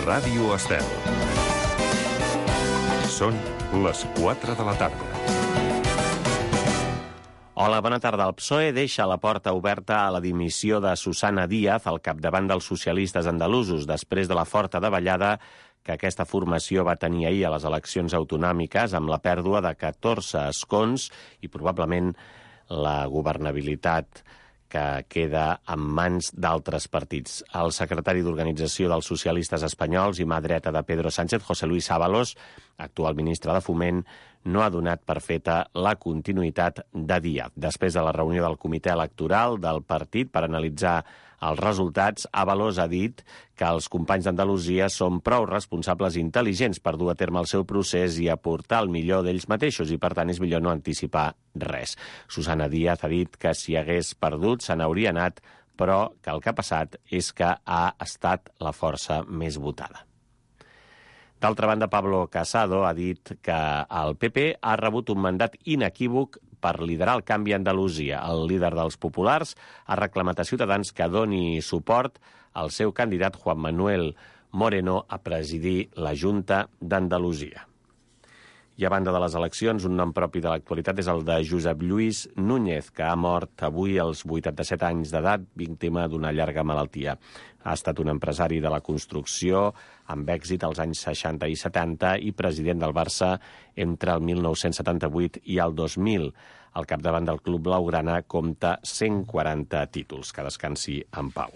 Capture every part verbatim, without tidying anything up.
Ràdio Estel. Són les quatre de la tarda. Hola, bona tarda. El P S O E deixa la porta oberta a la dimissió de Susana Díaz al capdavant dels socialistes andalusos després de la forta davallada que aquesta formació va tenir ahir a les eleccions autonòmiques amb la pèrdua de catorze escons i probablement la governabilitat que queda en mans d'altres partits. El secretari d'Organització dels Socialistes Espanyols i mà dreta de Pedro Sánchez, José Luis Ábalos, actual ministre de Foment, no ha donat per feta la continuïtat de Díaz. Després de la reunió del comitè electoral del partit per analitzar els resultats, Ábalos ha dit que els companys d'Andalusia són prou responsables i intel·ligents per dur a terme el seu procés i aportar el millor d'ells mateixos i, per tant, és millor no anticipar res. Susana Díaz ha dit que si hagués perdut se n'hauria anat, però que el que ha passat és que ha estat la força més votada. D'altra banda, Pablo Casado ha dit que el P P ha rebut un mandat inequívoc per liderar el canvi a Andalusia. El líder dels populars ha reclamat a Ciutadans que doni suport al seu candidat Juan Manuel Moreno a presidir la Junta d'Andalusia. I a banda de les eleccions, un nom propi de l'actualitat és el de Josep Lluís Núñez, que ha mort avui als vuitanta-set anys d'edat, víctima d'una llarga malaltia. Ha estat un empresari de la construcció amb èxit als anys seixanta i setanta i president del Barça entre el mil nou-cents setanta-vuit i el dos mil. Al capdavant del club blaugrana compta cent quaranta títols. Que descansi en pau.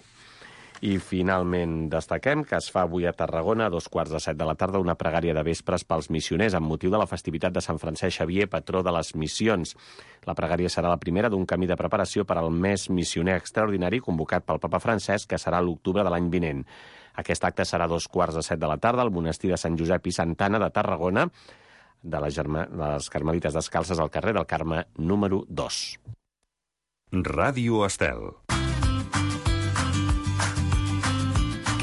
I finalment destaquem que es fa avui a Tarragona a dos quarts de set de la tarda una pregària de vespres pels missioners amb motiu de la festivitat de Sant Francesc Xavier, patró de les missions. La pregària serà la primera d'un camí de preparació per al mes missioner extraordinari convocat pel papa Francesc, que serà l'octubre de l'any vinent. Aquest acte serà a dos quarts de set de la tarda al monestir de Sant Josep i Santa Anna de Tarragona, de les, Germa... de les Carmelites Descalces al carrer del Carme número dos. Ràdio Estel.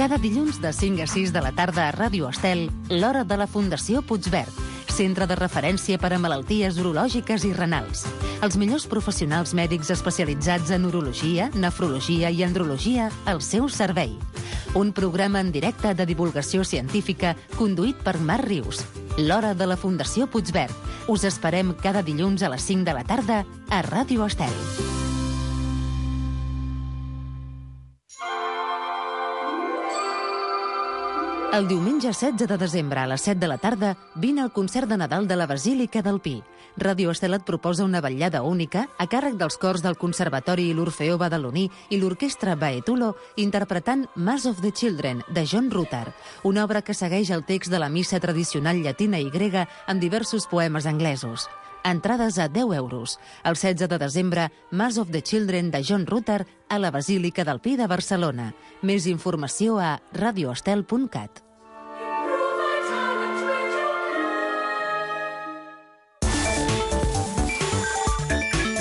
Cada dilluns de cinc a sis de la tarda a Ràdio Estel, l'hora de la Fundació Puigverd, centre de referència per a malalties urològiques i renals. Els millors professionals mèdics especialitzats en urologia, nefrologia i andrologia al seu servei. Un programa en directe de divulgació científica conduït per Marc Rius. L'hora de la Fundació Puigverd. Us esperem cada dilluns a les cinc de la tarda a Ràdio Estel. El diumenge setze de desembre a les set de la tarda vine al concert de Nadal de la Basílica del Pi. Ràdio Estel et proposa una vetllada única a càrrec dels cors del Conservatori i l'Orfeó Badaloní i l'Orquestra Baetulo interpretant Mass of the Children, de John Rutter, una obra que segueix el text de la missa tradicional llatina i grega amb diversos poemes anglesos. Entrades a deu euros. El setze de desembre, Mass of the Children de John Rutter a la Basílica del Pi de Barcelona. Més informació a radioestel punt cat.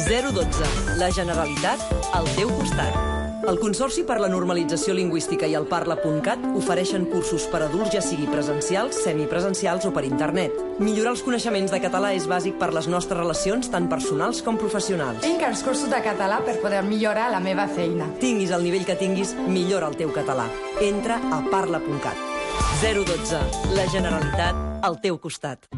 zero dotze. La Generalitat al teu costat. El Consorci per la Normalització Lingüística i el Parla punt cat ofereixen cursos per adults, ja sigui presencials, semipresencials o per internet. Millorar els coneixements de català és bàsic per les nostres relacions, tant personals com professionals. Tinc els cursos de català per poder millorar la meva feina. Tinguis el nivell que tinguis, millora el teu català. Entra a parla punt cat. zero dotze. La Generalitat al teu costat.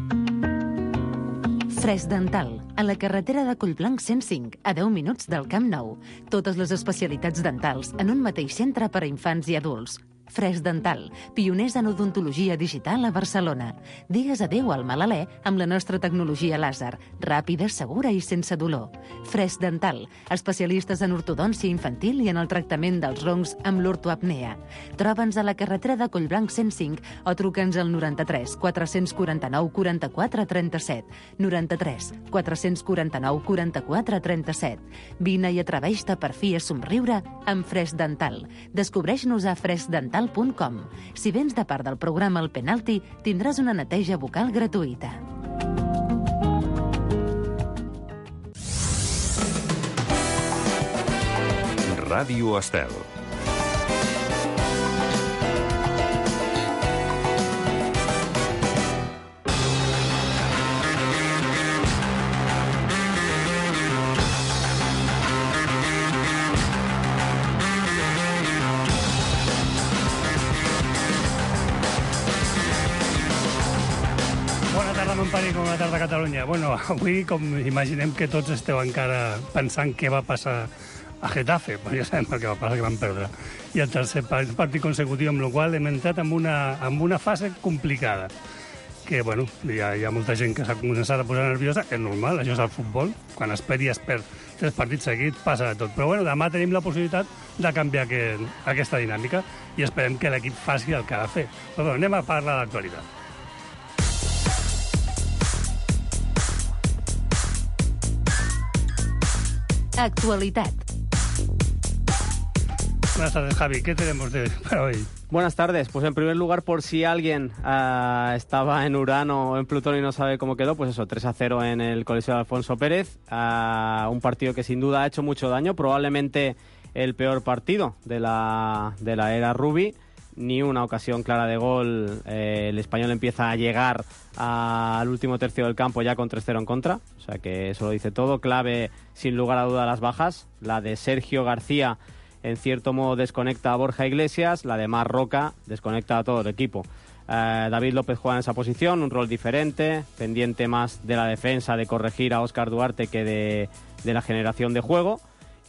Fresc Dental, a la carretera de Collblanc cent cinc, a deu minuts del Camp Nou. Totes les especialitats dentals en un mateix centre per a infants i adults. Fresc Dental, pioners en odontologia digital a Barcelona. Digues adéu al mal alè amb la nostra tecnologia làser, ràpida, segura i sense dolor. Fresc Dental, especialistes en ortodòncia infantil i en el tractament dels roncs amb l'ortoapnea. Troba'ns a la carretera de Collblanc cent cinc o truca'ns al noranta-tres quatre-cents quaranta-nou quaranta-quatre trenta-set. noranta-tres quatre-cents quaranta-nou quaranta-quatre trenta-set. Vine i atreveix-te per fi a somriure amb Fresc Dental. Descobreix-nos a fresc dental punt com. Si vens de part del programa El Penalti, tindràs una neteja bucal gratuïta. Ràdio Estel. Campari, com la tarda a Catalunya. Bueno, avui, com imaginem que tots esteu encara pensant què va passar a Getafe, però ja sabem el que va passar, que van perdre. I el tercer partit consecutiu, amb la qual hem entrat en una, en una fase complicada. Que, bueno, hi ha, hi ha molta gent que s'ha començat a posar nerviosa, és normal, això és el futbol. Quan es perd i es perd tres partits seguits, passa de tot. Però, bueno, demà tenim la possibilitat de canviar aquest, aquesta dinàmica i esperem que l'equip faci el que ha de fer. Però, bueno, anem a parlar d'actualitat. Actualidad. Buenas tardes, Javi. ¿Qué tenemos de, para hoy? Buenas tardes. Pues en primer lugar, por si alguien uh, estaba en Urano o en Plutón y no sabe cómo quedó, pues eso, tres a cero en el Coliseo de Alfonso Pérez. Uh, un partido que sin duda ha hecho mucho daño, probablemente el peor partido de la, de la era Rubi. Ni una ocasión clara de gol. Eh, el Español empieza a llegar a, al último tercio del campo ya con tres cero en contra. O sea que eso lo dice todo. Clave, sin lugar a duda, las bajas. La de Sergio García, en cierto modo, desconecta a Borja Iglesias. La de Mar Roca desconecta a todo el equipo. Eh, David López juega en esa posición, un rol diferente, pendiente más de la defensa, de corregir a Óscar Duarte que de, de la generación de juego.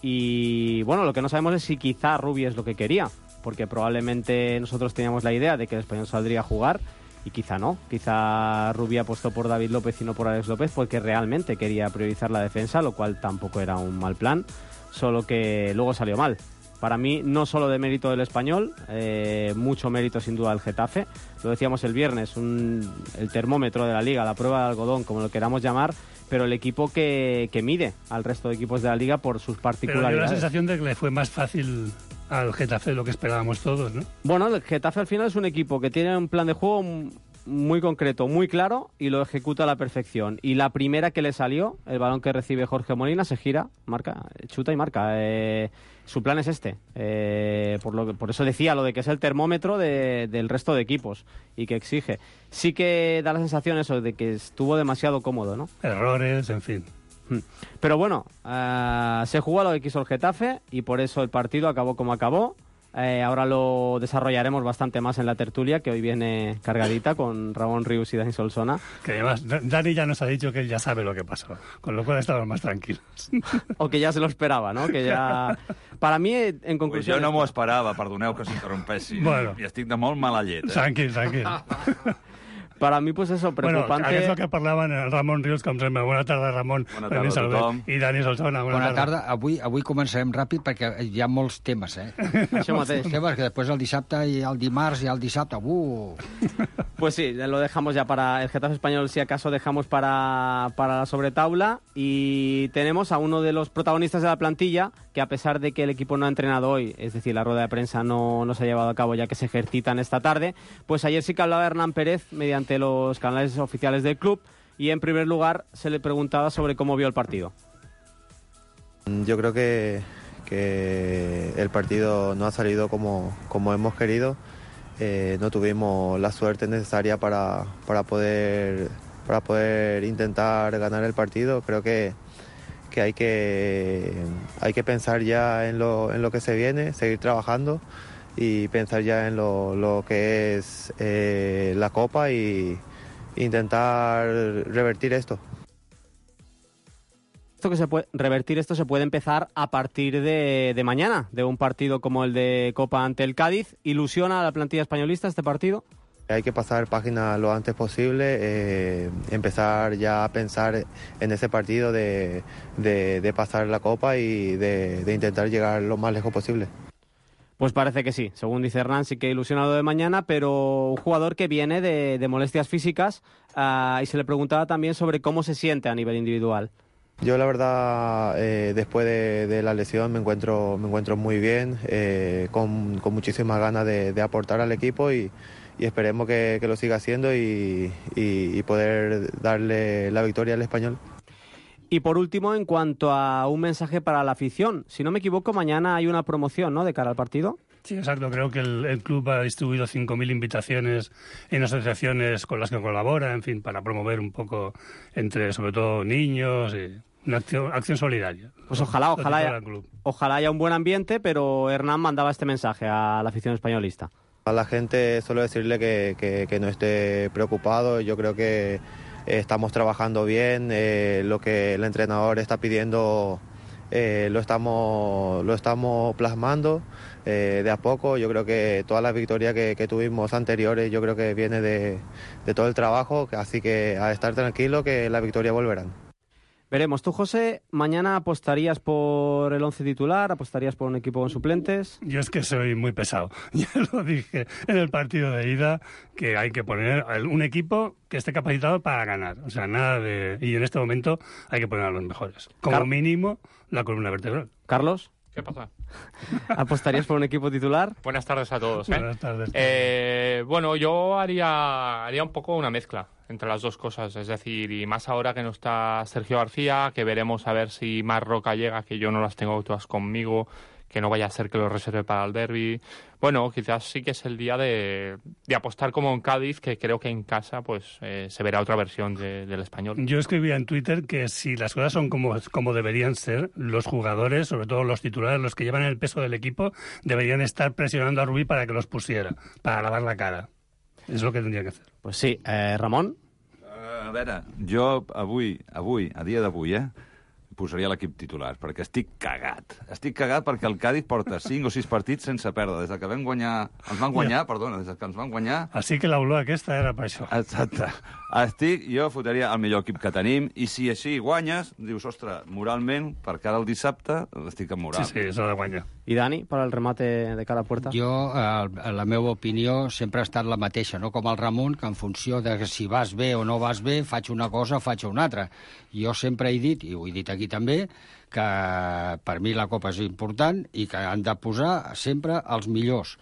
Y bueno, lo que no sabemos es si quizá Rubi es lo que quería, porque probablemente nosotros teníamos la idea de que el Español saldría a jugar y quizá no. Quizá Rubi apostó por David López y no por Alex López porque realmente quería priorizar la defensa, lo cual tampoco era un mal plan, solo que luego salió mal. Para mí, no solo de mérito del Español, eh, mucho mérito sin duda del Getafe. Lo decíamos el viernes, un, el termómetro de la Liga, la prueba de algodón, como lo queramos llamar, pero el equipo que, que mide al resto de equipos de la Liga por sus particularidades. Pero dio la sensación de que le fue más fácil al Getafe de lo que esperábamos todos, ¿no? Bueno, el Getafe al final es un equipo que tiene un plan de juego muy concreto, muy claro, y lo ejecuta a la perfección. Y la primera que le salió, el balón que recibe Jorge Molina, se gira, marca, chuta y marca. Eh, su plan es este. Eh, por, lo que, por eso decía lo de que es el termómetro de, del resto de equipos y que exige. Sí que da la sensación eso de que estuvo demasiado cómodo, ¿no? Errores, en fin. Pero bueno, uh, se jugó a lo que quiso el Getafe y por eso el partido acabó como acabó. Eh, ahora lo desarrollaremos bastante más en la tertulia, que hoy viene cargadita con Ramón Rius y Dani Solsona. Que además Dani ya nos ha dicho que él ya sabe lo que pasó, con lo cual estamos más tranquilos. O que ya se lo esperava, no? Que ja... Para mi, en conclusió... Pues jo no m'ho esperava, perdoneu que s'interrompessi. Bueno. I estic de molt mala llet. Eh? Tranquil, tranquil. Para mí, pues eso, preocupante... Bueno, aquest és el que parlaven el Ramon Rius, com sempre. Bona tarda, Ramon. Bona tarda a tothom. I Dani Solsona, bona, bona tarda. tarda. Avui, avui començarem ràpid perquè hi ha molts temes, eh? Això mateix. Temes que després el dissabte i el dimarts i el dissabte... Uh. Pues sí, lo dejamos ya para el Getafe Español, si acaso dejamos para, para la sobretaula. Y tenemos a uno de los protagonistas de la plantilla, que a pesar de que el equipo no ha entrenado hoy, es decir, la rueda de prensa no, no se ha llevado a cabo ya que se ejercitan esta tarde, pues ayer sí que hablaba Hernán Pérez mediante los canales oficiales del club y en primer lugar se le preguntaba sobre cómo vio el partido. Yo creo que, que el partido no ha salido como, como hemos querido. Eh, no tuvimos la suerte necesaria para, para, poder, para poder intentar ganar el partido. Creo que, que, hay, que hay que pensar ya en lo, en lo que se viene, seguir trabajando y pensar ya en lo, lo que es eh, la Copa y intentar revertir esto. Esto que se puede revertir esto se puede empezar a partir de, de mañana, de un partido como el de Copa ante el Cádiz. ¿Ilusiona a la plantilla españolista este partido? Hay que pasar página lo antes posible, eh, empezar ya a pensar en ese partido de, de, de pasar la Copa y de, de intentar llegar lo más lejos posible. Pues parece que sí, según dice Hernán, sí que ilusionado de mañana, pero un jugador que viene de, de molestias físicas uh, y se le preguntaba también sobre cómo se siente a nivel individual. Yo la verdad, eh, después de, de la lesión me encuentro, me encuentro muy bien, eh, con, con muchísimas ganas de, de aportar al equipo y, y esperemos que, que lo siga haciendo y, y, y poder darle la victoria al Español. Y por último, en cuanto a un mensaje para la afición, si no me equivoco, mañana hay una promoción, ¿no?, de cara al partido. Sí, exacto. Creo que el, el club ha distribuido cinco mil invitaciones en asociaciones con las que colabora, en fin, para promover un poco entre, sobre todo, niños y una acción, acción solidaria. Pues ojalá, ojalá haya, ojalá haya un buen ambiente, pero Hernán mandaba este mensaje a la afición españolista. A la gente solo decirle que, que, que no esté preocupado. Yo creo que eh, estamos trabajando bien, eh, lo que el entrenador está pidiendo eh, lo estamos lo estamos plasmando eh, de a poco. Yo creo que todas las victorias que, que tuvimos anteriores, yo creo que viene de, de todo el trabajo, así que a estar tranquilo que las victorias volverán. Veremos. Tú, José, ¿mañana apostarías por el once titular? ¿Apostarías por un equipo con suplentes? Yo es que soy muy pesado. Ya lo dije en el partido de ida, que hay que poner un equipo que esté capacitado para ganar. O sea, nada de... Y en este momento hay que poner a los mejores. Como Car- mínimo, la columna vertebral. ¿Carlos? ¿Qué pasa? ¿Apostarías por un equipo titular? Buenas tardes a todos. ¿eh? Buenas tardes. Eh, bueno, yo haría, haría un poco una mezcla entre las dos cosas. Es decir, y más ahora que no está Sergio García, que veremos a ver si Marc Roca llega, que yo no las tengo todas conmigo, que no vaya a ser que lo reserve para el derbi. Bueno, quizás sí que es el día de, de apostar como en Cádiz, que creo que en casa pues eh, se verá otra versión de, del Español. Yo escribía en Twitter que si las cosas son como, como deberían ser, los jugadores, sobre todo los titulares, los que llevan el peso del equipo, deberían estar presionando a Rubí para que los pusiera, para lavar la cara. És el que tindria que fer. Pues sí. Eh, Ramon? Uh, a veure, jo avui, avui, a dia d'avui, eh, posaria l'equip titular, perquè estic cagat. Estic cagat perquè el Cádiz porta cinc o sis partits sense perdre. Des que vam guanyar... Ens van guanyar, yeah. perdona, des que ens van guanyar... Així que l'olor aquesta era per això. Exacte. Estic, jo fotria el millor equip que tenim, i si així guanyes, dius, ostres, moralment, per cara al dissabte, estic en moral. Sí, sí, s'ha de guanyar. I Dani, per al remate de cada puerta? Jo, eh, la meva opinió sempre ha estat la mateixa, no com el Ramon, que en funció de si vas bé o no vas bé, faig una cosa o faig una altra. Jo sempre he dit, i ho he dit aquí també, que per mi la Copa és important i que han de posar sempre els millors.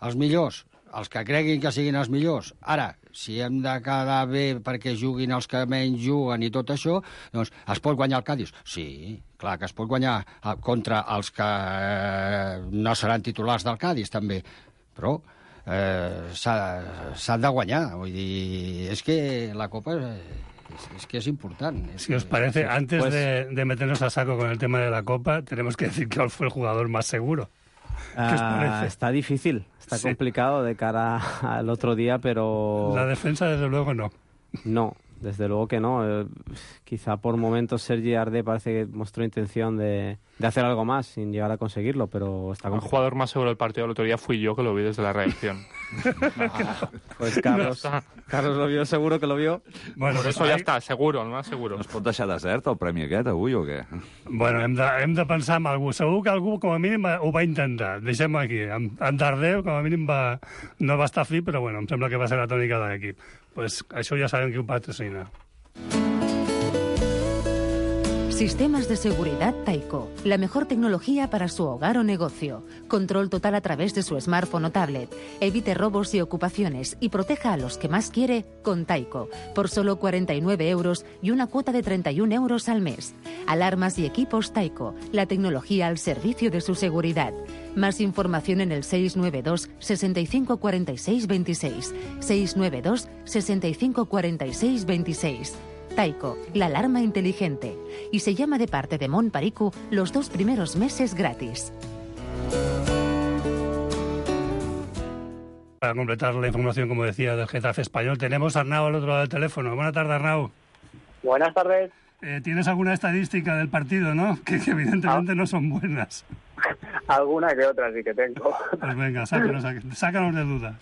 Els millors, els que creguin que siguin els millors. Ara, si hem de quedar bé perquè juguin els que menys juguen i tot això, doncs es pot guanyar el Cádiz? Sí, clar que es pot guanyar contra els que no seran titulars del Cádiz, també. Però eh, s'ha de guanyar. Vull dir, és que la Copa... Es, es que es importante. Si os parece, antes pues, de, de meternos a saco con el tema de la Copa, tenemos que decir que fue el jugador más seguro. ¿Qué os parece? Uh, está difícil, está sí. complicado de cara al otro día, pero... La defensa, desde luego, no. No, desde luego que no. Eh, quizá por momentos Sergi Ardé parece que mostró intención de, de hacer algo más sin llegar a conseguirlo, pero está complicado. El jugador más seguro del partido del otro día fui yo, que lo vi desde la reacción. Ah, pues Carlos, no Carlos lo vio, seguro que lo vio. Bueno, por eso ya está, seguro, el más seguro. No es pot deixar desert el premi aquest avui o què? Bueno, hem de, hem de pensar en algú. Segur que algú com a mínim ho va intentar. Deixem-ho aquí. En, en Tardeu com a mínim va, no va estar fi, però bueno, em sembla que va ser la tònica de l'equip. Pues això ja sabem qui ho patrocina. Sistemas de seguridad Taiko. La mejor tecnología para su hogar o negocio. Control total a través de su smartphone o tablet. Evite robos y ocupaciones y proteja a los que más quiere con Taiko. Por solo cuarenta y nueve euros y una cuota de treinta y un euros al mes. Alarmas y equipos Taiko. La tecnología al servicio de su seguridad. Más información en el seis nueve dos, sesenta y cinco, cuarenta y seis, veintiséis. seis nueve dos, sesenta y cinco, cuarenta y seis, veintiséis. Taiko, la alarma inteligente. Y se llama de parte de Mon Pariku los dos primeros meses gratis. Para completar la información, como decía, del Getafe español, tenemos a Arnau al otro lado del teléfono. Buenas tardes, Arnau. Buenas tardes. Eh, ¿Tienes alguna estadística del partido, no? Que, que evidentemente ah. no son buenas. Alguna que otra sí que tengo. Pues venga, sácanos, sácanos de dudas.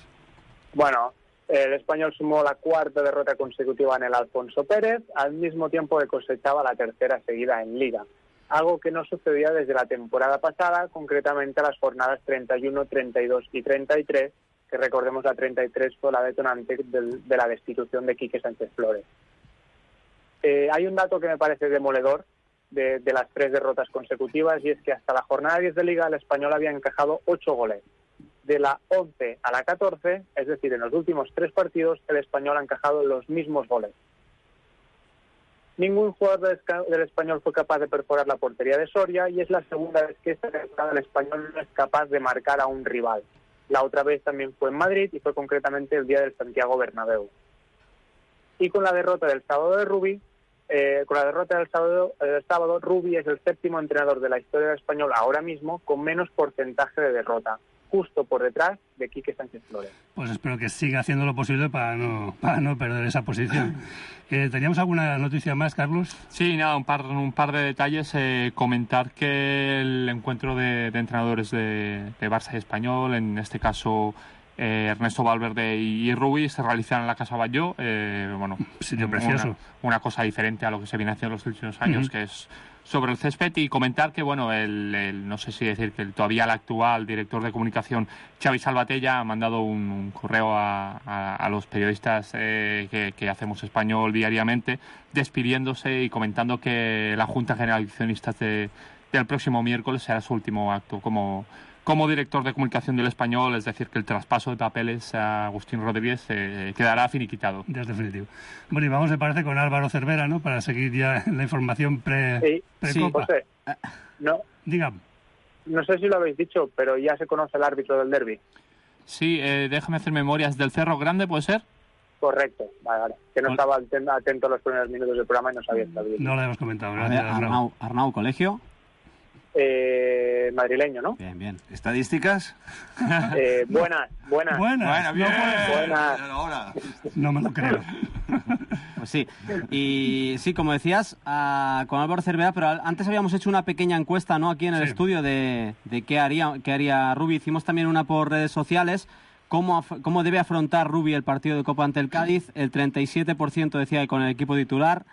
Bueno... El Español sumó la cuarta derrota consecutiva en el Alfonso Pérez, al mismo tiempo que cosechaba la tercera seguida en Liga, algo que no sucedía desde la temporada pasada, concretamente las jornadas treinta y uno, treinta y dos y treinta y tres, que recordemos la treinta y tres fue la detonante del, de la destitución de Quique Sánchez Flores. Eh, hay un dato que me parece demoledor de, de las tres derrotas consecutivas, y es que hasta la jornada diez de Liga el Español había encajado ocho goles. De la once a la catorce, es decir, en los últimos tres partidos, el Español ha encajado los mismos goles. Ningún jugador del Español fue capaz de perforar la portería de Soria, y es la segunda vez que esta temporada el Español no es capaz de marcar a un rival. La otra vez también fue en Madrid, y fue concretamente el día del Santiago Bernabéu. Y con la derrota del sábado de Rubí, eh, con la derrota del sábado, del sábado, Rubí es el séptimo entrenador de la historia del Español ahora mismo con menos porcentaje de derrota. justo por detrás de Quique Sánchez Flores. Pues espero que siga haciendo lo posible para no, para no perder esa posición. Eh, ¿Teníamos alguna noticia más, Carlos? Sí, nada, un par, un par de detalles. Eh, comentar que el encuentro de, de entrenadores de, de Barça y Español, en este caso eh, Ernesto Valverde y, y Rubí, se realizan en la Casa Batlló. Eh, bueno, sitio precioso. Una, una cosa diferente a lo que se viene haciendo en los últimos años, uh-huh. que es sobre el césped, y comentar que, bueno, el, el, no sé si decir que el, todavía el actual director de comunicación, Xavi Salvatella, ha mandado un, un correo a, a, a los periodistas eh, que, que hacemos español diariamente, despidiéndose y comentando que la Junta General de Accionistas de, del próximo miércoles será su último acto como, como director de comunicación del Español, es decir, que el traspaso de papeles a Agustín Rodríguez eh, quedará finiquitado. Ya es definitivo. Bueno, y vamos, me parece, con Álvaro Cervera, ¿no?, para seguir ya la información pre, sí, pre-Copa. Sí, José, no, Dígame. No sé si lo habéis dicho, pero ya se conoce el árbitro del derbi. Sí, eh, déjame hacer memorias. ¿Del Cerro Grande, puede ser? Correcto, vale, vale. Que no Col- estaba atento a los primeros minutos del programa y no sabía estar bien. No lo hemos comentado, gracias. Ver, Arnau, Arnau, ¿colegio? Eh, madrileño, ¿no? Bien, bien. ¿Estadísticas? Eh, buenas, buenas. Buenas, bien. No, buenas. Ahora. No me lo creo. Pues sí. Y sí, como decías, uh, con Álvaro Cervera, pero antes habíamos hecho una pequeña encuesta, ¿no?, aquí en el sí. estudio de, de qué haría, qué haría Rubi. Hicimos también una por redes sociales. ¿Cómo, cómo debe afrontar Rubi el partido de Copa ante el Cádiz? El treinta y siete por ciento decía que con el equipo titular,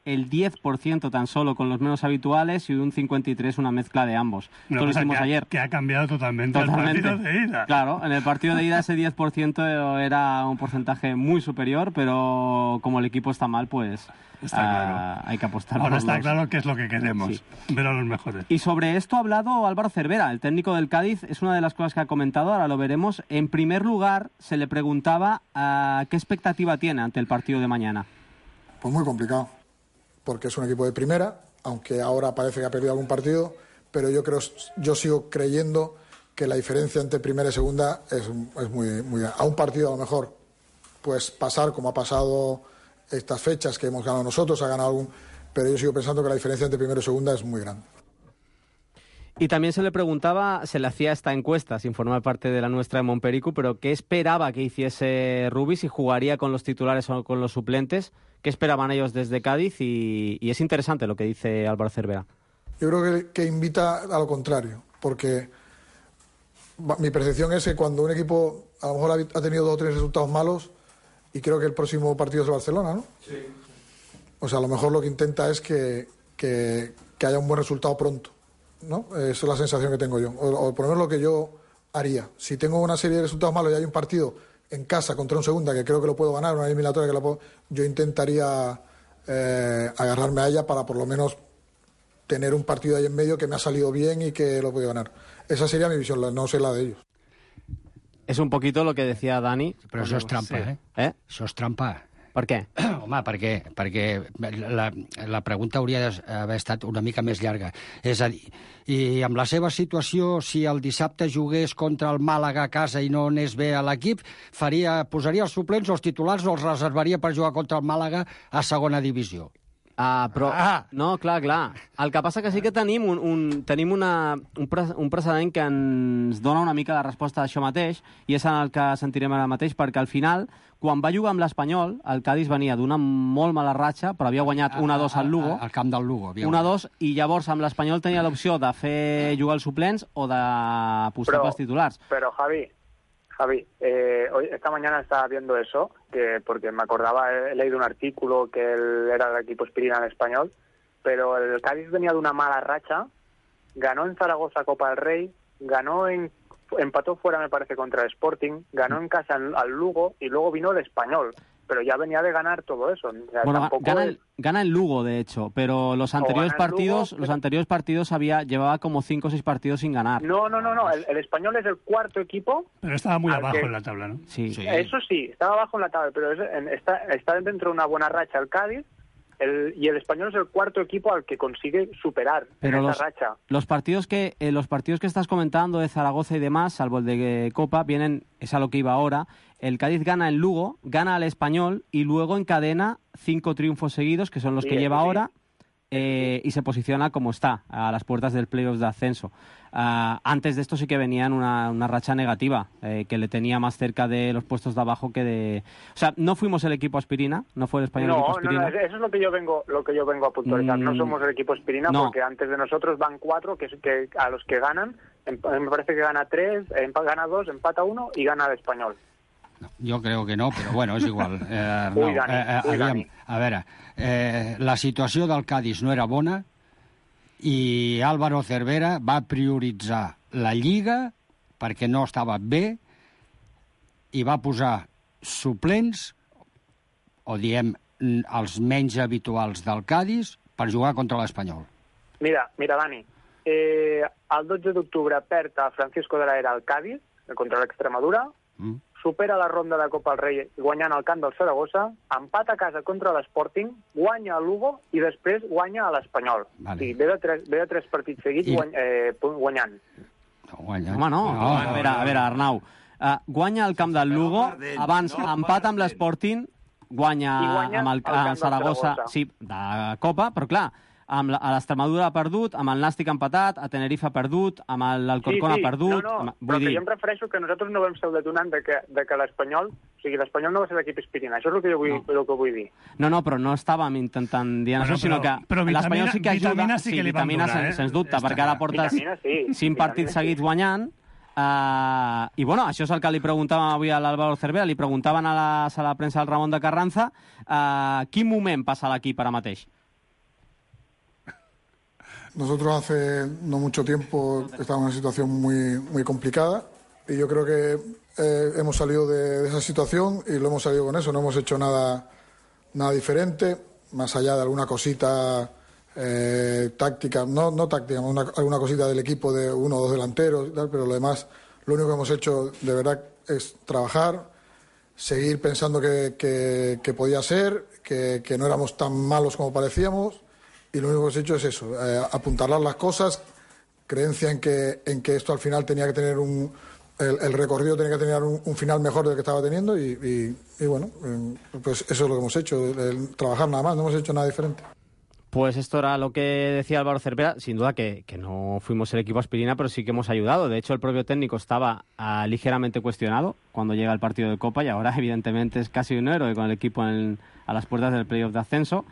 el diez por ciento tan solo con los menos habituales y un cincuenta y tres por ciento una mezcla de ambos. No, Esto lo hicimos que ayer. Ha, que ha cambiado totalmente, totalmente el partido de ida. Claro, en el partido de ida ese diez por ciento era un porcentaje muy superior, pero como el equipo está mal, pues está claro. uh, hay que apostar. Ahora por está los... claro que es lo que queremos, sí. Ver a los mejores. Y sobre esto ha hablado Álvaro Cervera, el técnico del Cádiz. Es una de las cosas que ha comentado, ahora lo veremos. En primer lugar, se le preguntaba uh, qué expectativa tiene ante el partido de mañana. Pues muy complicado, porque es un equipo de primera, aunque ahora parece que ha perdido algún partido, pero yo creo, yo sigo creyendo que la diferencia entre primera y segunda es, es muy, muy... A un partido a lo mejor, pues pasar como ha pasado estas fechas que hemos ganado nosotros, ha ganado algún... Pero yo sigo pensando que la diferencia entre primera y segunda es muy grande. Y también se le preguntaba, se le hacía esta encuesta, sin formar parte de la nuestra de Montpericu, pero ¿qué esperaba que hiciese Rubi, si jugaría con los titulares o con los suplentes? ¿Qué esperaban ellos desde Cádiz? Y, y es interesante lo que dice Álvaro Cervera. Yo creo que, que invita a lo contrario, porque mi percepción es que cuando un equipo a lo mejor ha tenido dos o tres resultados malos, y creo que el próximo partido es el Barcelona, ¿no? Sí. O sea, a lo mejor lo que intenta es que, que, que haya un buen resultado pronto, ¿no? Esa es la sensación que tengo yo, o, o por lo menos lo que yo haría. Si tengo una serie de resultados malos y hay un partido en casa contra un segunda, que creo que lo puedo ganar, una eliminatoria que la puedo, yo intentaría eh, agarrarme a ella para por lo menos tener un partido ahí en medio que me ha salido bien y que lo puedo ganar. Esa sería mi visión, no sé la de ellos. És un poquito lo que decía Dani. Però això és trampa, sí. eh? Eh? Això és trampa. Per què? Home, perquè, perquè la, la pregunta hauria d'haver estat una mica més llarga. És a dir, i amb la seva situació, si el dissabte jugués contra el Màlaga a casa i no anés bé a l'equip, faria, posaria els suplents o els titulars o els reservaria per jugar contra el Màlaga a segona divisió. Ah, però... Ah. No, clar, clar. El que passa que sí que tenim un, un, tenim una, un, pre, un precedent que ens dona una mica la resposta a això mateix, i és en el que sentirem ara mateix, perquè al final, quan va jugar amb l'Espanyol, el Cádiz venia d'una molt mala ratxa, però havia guanyat una dos al Lugo. Al camp del Lugo. una dos, i llavors amb l'Espanyol tenia l'opció de fer jugar els suplents o d'apostar pels titulars. Però, Javi, Javi, eh, hoy, esta mañana estaba viendo eso, que porque me acordaba, he leído un artículo que él era del equipo Espirina en español, pero el Cádiz venía de una mala racha, ganó en Zaragoza Copa del Rey, ganó en, empató fuera me parece contra el Sporting, ganó en casa en, al Lugo y luego vino el Español, pero ya venía de ganar todo eso. O sea, bueno, tampoco gana, es... el, gana el Lugo, de hecho, pero los anteriores partidos, Lugo, los anteriores partidos había llevaba como cinco o seis partidos sin ganar. No, no, no, no. El, el Español es el cuarto equipo. Pero estaba muy abajo que... en la tabla, ¿no? Sí. sí. Eso sí, estaba abajo en la tabla, pero es, en, está, está dentro de una buena racha el Cádiz. El, y el Español es el cuarto equipo al que consigue superar Pero esa los, racha. Los partidos que eh, los partidos que estás comentando de Zaragoza y demás, salvo el de eh, Copa, vienen, es a lo que iba ahora. El Cádiz gana en Lugo, gana al Español y luego encadena cinco triunfos seguidos, que son los sí, que lleva sí. ahora. eh, y se posiciona como está, a las puertas del playoff de ascenso. Uh, antes de esto sí que venía en una, una racha negativa, eh, que le tenía más cerca de los puestos de abajo que de... O sea, no fuimos el equipo aspirina, no fue el español no, el equipo aspirina. No, no, eso es lo que yo vengo, lo que yo vengo a puntualizar. Mm, no somos el equipo aspirina no. porque antes de nosotros van cuatro que, que a los que ganan, me parece que gana tres, gana dos, empata uno y gana el español. No, yo creo que no, però bueno, és igual. Eh, no, ui, Dani, eh, ui, aviam, Dani. A veure, eh, la situació del Cádiz no era bona i Álvaro Cervera va prioritzar la Lliga perquè no estava bé i va posar suplents, o diem els menys habituals del Cádiz, per jugar contra l'Espanyol. Mira, mira, Dani, eh, el dotze d'octubre perd a Francisco de la Era al Cádiz contra l'Extremadura, mm. supera la ronda de Copa del Rei guanyant al camp del Saragossa, empat a casa contra l'Sporting, guanya a Lugo i després guanya a l'Espanyol. Vale. Sí, ve, de tres, ve de tres partits seguits I... guany, eh, guanyant. No, guanyant. Home, no. no, a, veure, a veure, Arnau, uh, guanya al camp del Lugo, abans no, empat amb l'Sporting, guanya, guanya amb el, el Saragossa, sí, de Copa, però clar, amb la, a l'Extremadura ha perdut, amb el Nàstic ha empatat, a Tenerife ha perdut, amb l'Alcorcón sí, sí. ha perdut... No, no, amb, però dir... que jo em refereixo que nosaltres no vam ser el detonant de que, de que l'Espanyol... O sigui, l'Espanyol no va ser l'equip aspirina. Això és el que jo vull, no. el que vull dir. No, no, però no estàvem intentant dir bueno, això, sinó que l'Espanyol sí que ajuda... Vitamina sí que li van donar, eh? Sens dubte, Està perquè ara portes sí, cinc partits seguits sí. guanyant. Uh, I, bueno, això és el que li preguntàvem avui a l'Álvaro Cervera, li preguntaven a la sala de premsa al Ramon de Carranza uh, quin moment passa l'equip ara mateix? Nosotros hace no mucho tiempo estábamos en una situación muy, muy complicada y yo creo que eh, hemos salido de, de esa situación y lo hemos salido con eso, no hemos hecho nada, nada diferente, más allá de alguna cosita eh, táctica, no, no táctica, una, alguna cosita del equipo de uno o dos delanteros y tal, pero lo demás, lo único que hemos hecho de verdad es trabajar, seguir pensando que, que, que podía ser, que, que no éramos tan malos como parecíamos. Y lo único que hemos hecho es eso, eh, apuntalar las cosas, creencia en que, en que esto al final tenía que tener un... El, el recorrido tenía que tener un, un final mejor del que estaba teniendo y, y, y bueno, eh, pues eso es lo que hemos hecho, el, el trabajar nada más, no hemos hecho nada diferente. Pues esto era lo que decía Álvaro Cervera, sin duda que, que no fuimos el equipo aspirina, pero sí que hemos ayudado. De hecho, el propio técnico estaba uh, ligeramente cuestionado cuando llega el partido de Copa y ahora evidentemente es casi un héroe con el equipo en, a las puertas del playoff de ascenso.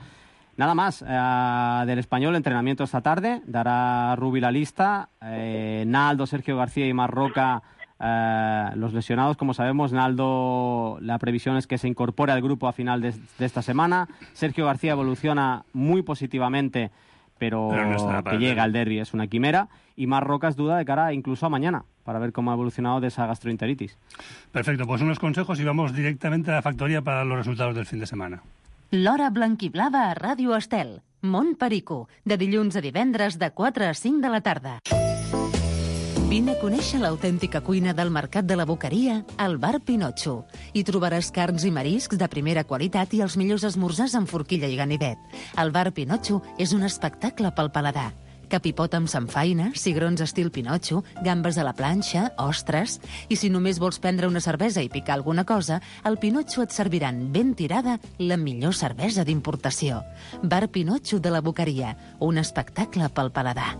Nada más, eh, del Español, entrenamiento esta tarde, dará Rubi la lista, eh, Naldo, Sergio García y Marroca, eh, los lesionados, como sabemos. Naldo, la previsión es que se incorpore al grupo a final de, de esta semana. Sergio García evoluciona muy positivamente, pero, pero no que llega al derbi es una quimera. Y Marroca es duda de cara incluso a mañana, para ver cómo ha evolucionado de esa gastroenteritis. Perfecto, pues unos consejos y vamos directamente a la factoría para los resultados del fin de semana. L'Hora Blanquiblava a Ràdio Estel. Mont Perico, de dilluns a divendres de quatre a cinc de la tarda. Vine a conèixer l'autèntica cuina del Mercat de la Boqueria al Bar Pinotxo. Hi trobaràs carns i mariscs de primera qualitat i els millors esmorzars amb forquilla i ganivet. El Bar Pinotxo és un espectacle pel paladar. Capipot amb samfaina, cigrons estil Pinotxo, gambes a la planxa, ostres... I si només vols prendre una cervesa i picar alguna cosa, al Pinotxo et serviran ben tirada la millor cervesa d'importació. Bar Pinotxo de la Boqueria, un espectacle pel paladar.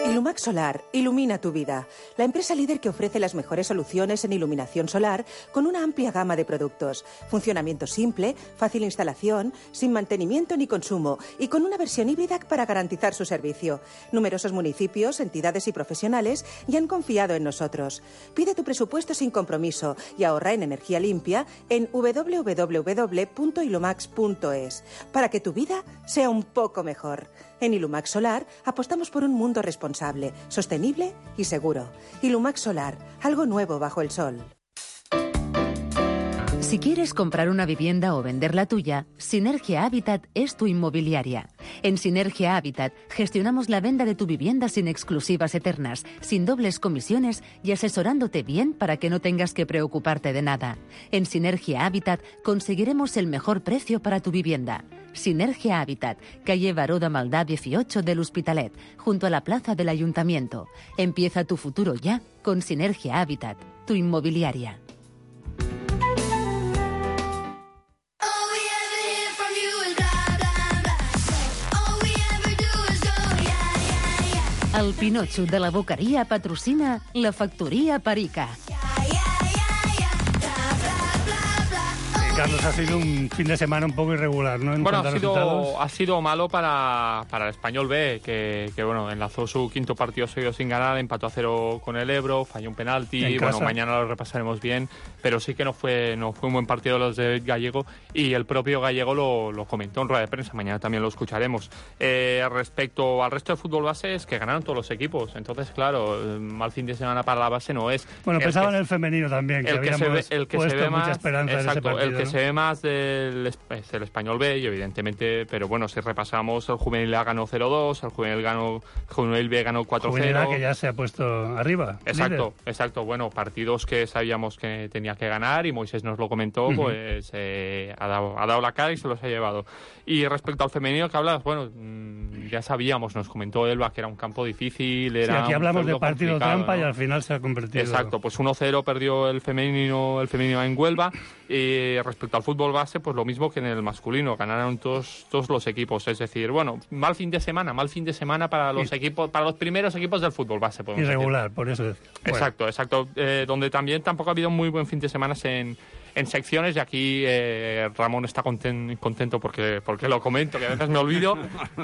Ilumax Solar ilumina tu vida. La empresa líder que ofrece las mejores soluciones en iluminación solar con una amplia gama de productos. Funcionamiento simple, fácil instalación, sin mantenimiento ni consumo y con una versión híbrida para garantizar su servicio. Numerosos municipios, entidades y profesionales ya han confiado en nosotros. Pide tu presupuesto sin compromiso y ahorra en energía limpia en doble u doble u doble u punto ilumax punto es para que tu vida sea un poco mejor. En Ilumax Solar apostamos por un mundo responsable, sostenible y seguro. Ilumax Solar, algo nuevo bajo el sol. Si quieres comprar una vivienda o vender la tuya, Sinergia Habitat es tu inmobiliaria. En Sinergia Habitat gestionamos la venta de tu vivienda sin exclusivas eternas, sin dobles comisiones y asesorándote bien para que no tengas que preocuparte de nada. En Sinergia Habitat conseguiremos el mejor precio para tu vivienda. Sinergia Habitat, calle Baró de Maldá dieciocho del Hospitalet, junto a la plaza del Ayuntamiento. Empieza tu futuro ya con Sinergia Habitat, tu inmobiliaria. El Pinotxo de la Boqueria patrocina la Factoria Perica. Carlos, ha sido un fin de semana un poco irregular, ¿no? En bueno, cuanto ha a sido, resultados. ha sido malo para, para el Español B, que, que bueno, enlazó su quinto partido seguido sin ganar, empató a cero con el Ebro, falló un penalti, En bueno, casa. mañana lo repasaremos bien, pero sí que no fue, no fue un buen partido los de Gallego, y el propio Gallego lo, lo comentó en rueda de prensa, mañana también lo escucharemos. Eh, respecto al resto de fútbol base, es que ganaron todos los equipos, entonces, claro, eh, mal fin de semana para la base no es. Bueno, El pensaba que- en el femenino también, que el que se habíamos ve, el que puesto se ve mucha más, esperanza en ese exacto, partido, el que ¿no? se ve más del es el Español B, y evidentemente, pero bueno, si repasamos, el Juvenil A ganó cero dos, el Juvenil, ganó, el Juvenil B ganó cuatro cero. Juvenil A, que ya se ha puesto arriba. Exacto, líder. exacto. Bueno, partidos que sabíamos que tenía que ganar, y Moisés nos lo comentó, Ujú. pues eh, ha, dado, ha dado la cara y se los ha llevado. Y respecto al femenino que hablas, bueno, mmm, ya sabíamos, nos comentó Elba que era un campo difícil, Sí, era aquí un hablamos de feudo partido complicado, trampa, ¿no? y al final se ha convertido. Exacto, pues uno cero perdió el femenino, el femenino en Huelva. Y respecto al fútbol base, pues lo mismo que en el masculino, ganaron todos, todos los equipos. Es decir, bueno, mal fin de semana, mal fin de semana para los Y- equipos, para los primeros equipos del fútbol base, podemos decir. Irregular, por eso decía. Bueno. Exacto, exacto. Eh, donde también tampoco ha habido un muy buen fin de semana en, en secciones, y aquí eh, Ramón está conten- contento porque, porque lo comento, que a veces me olvido.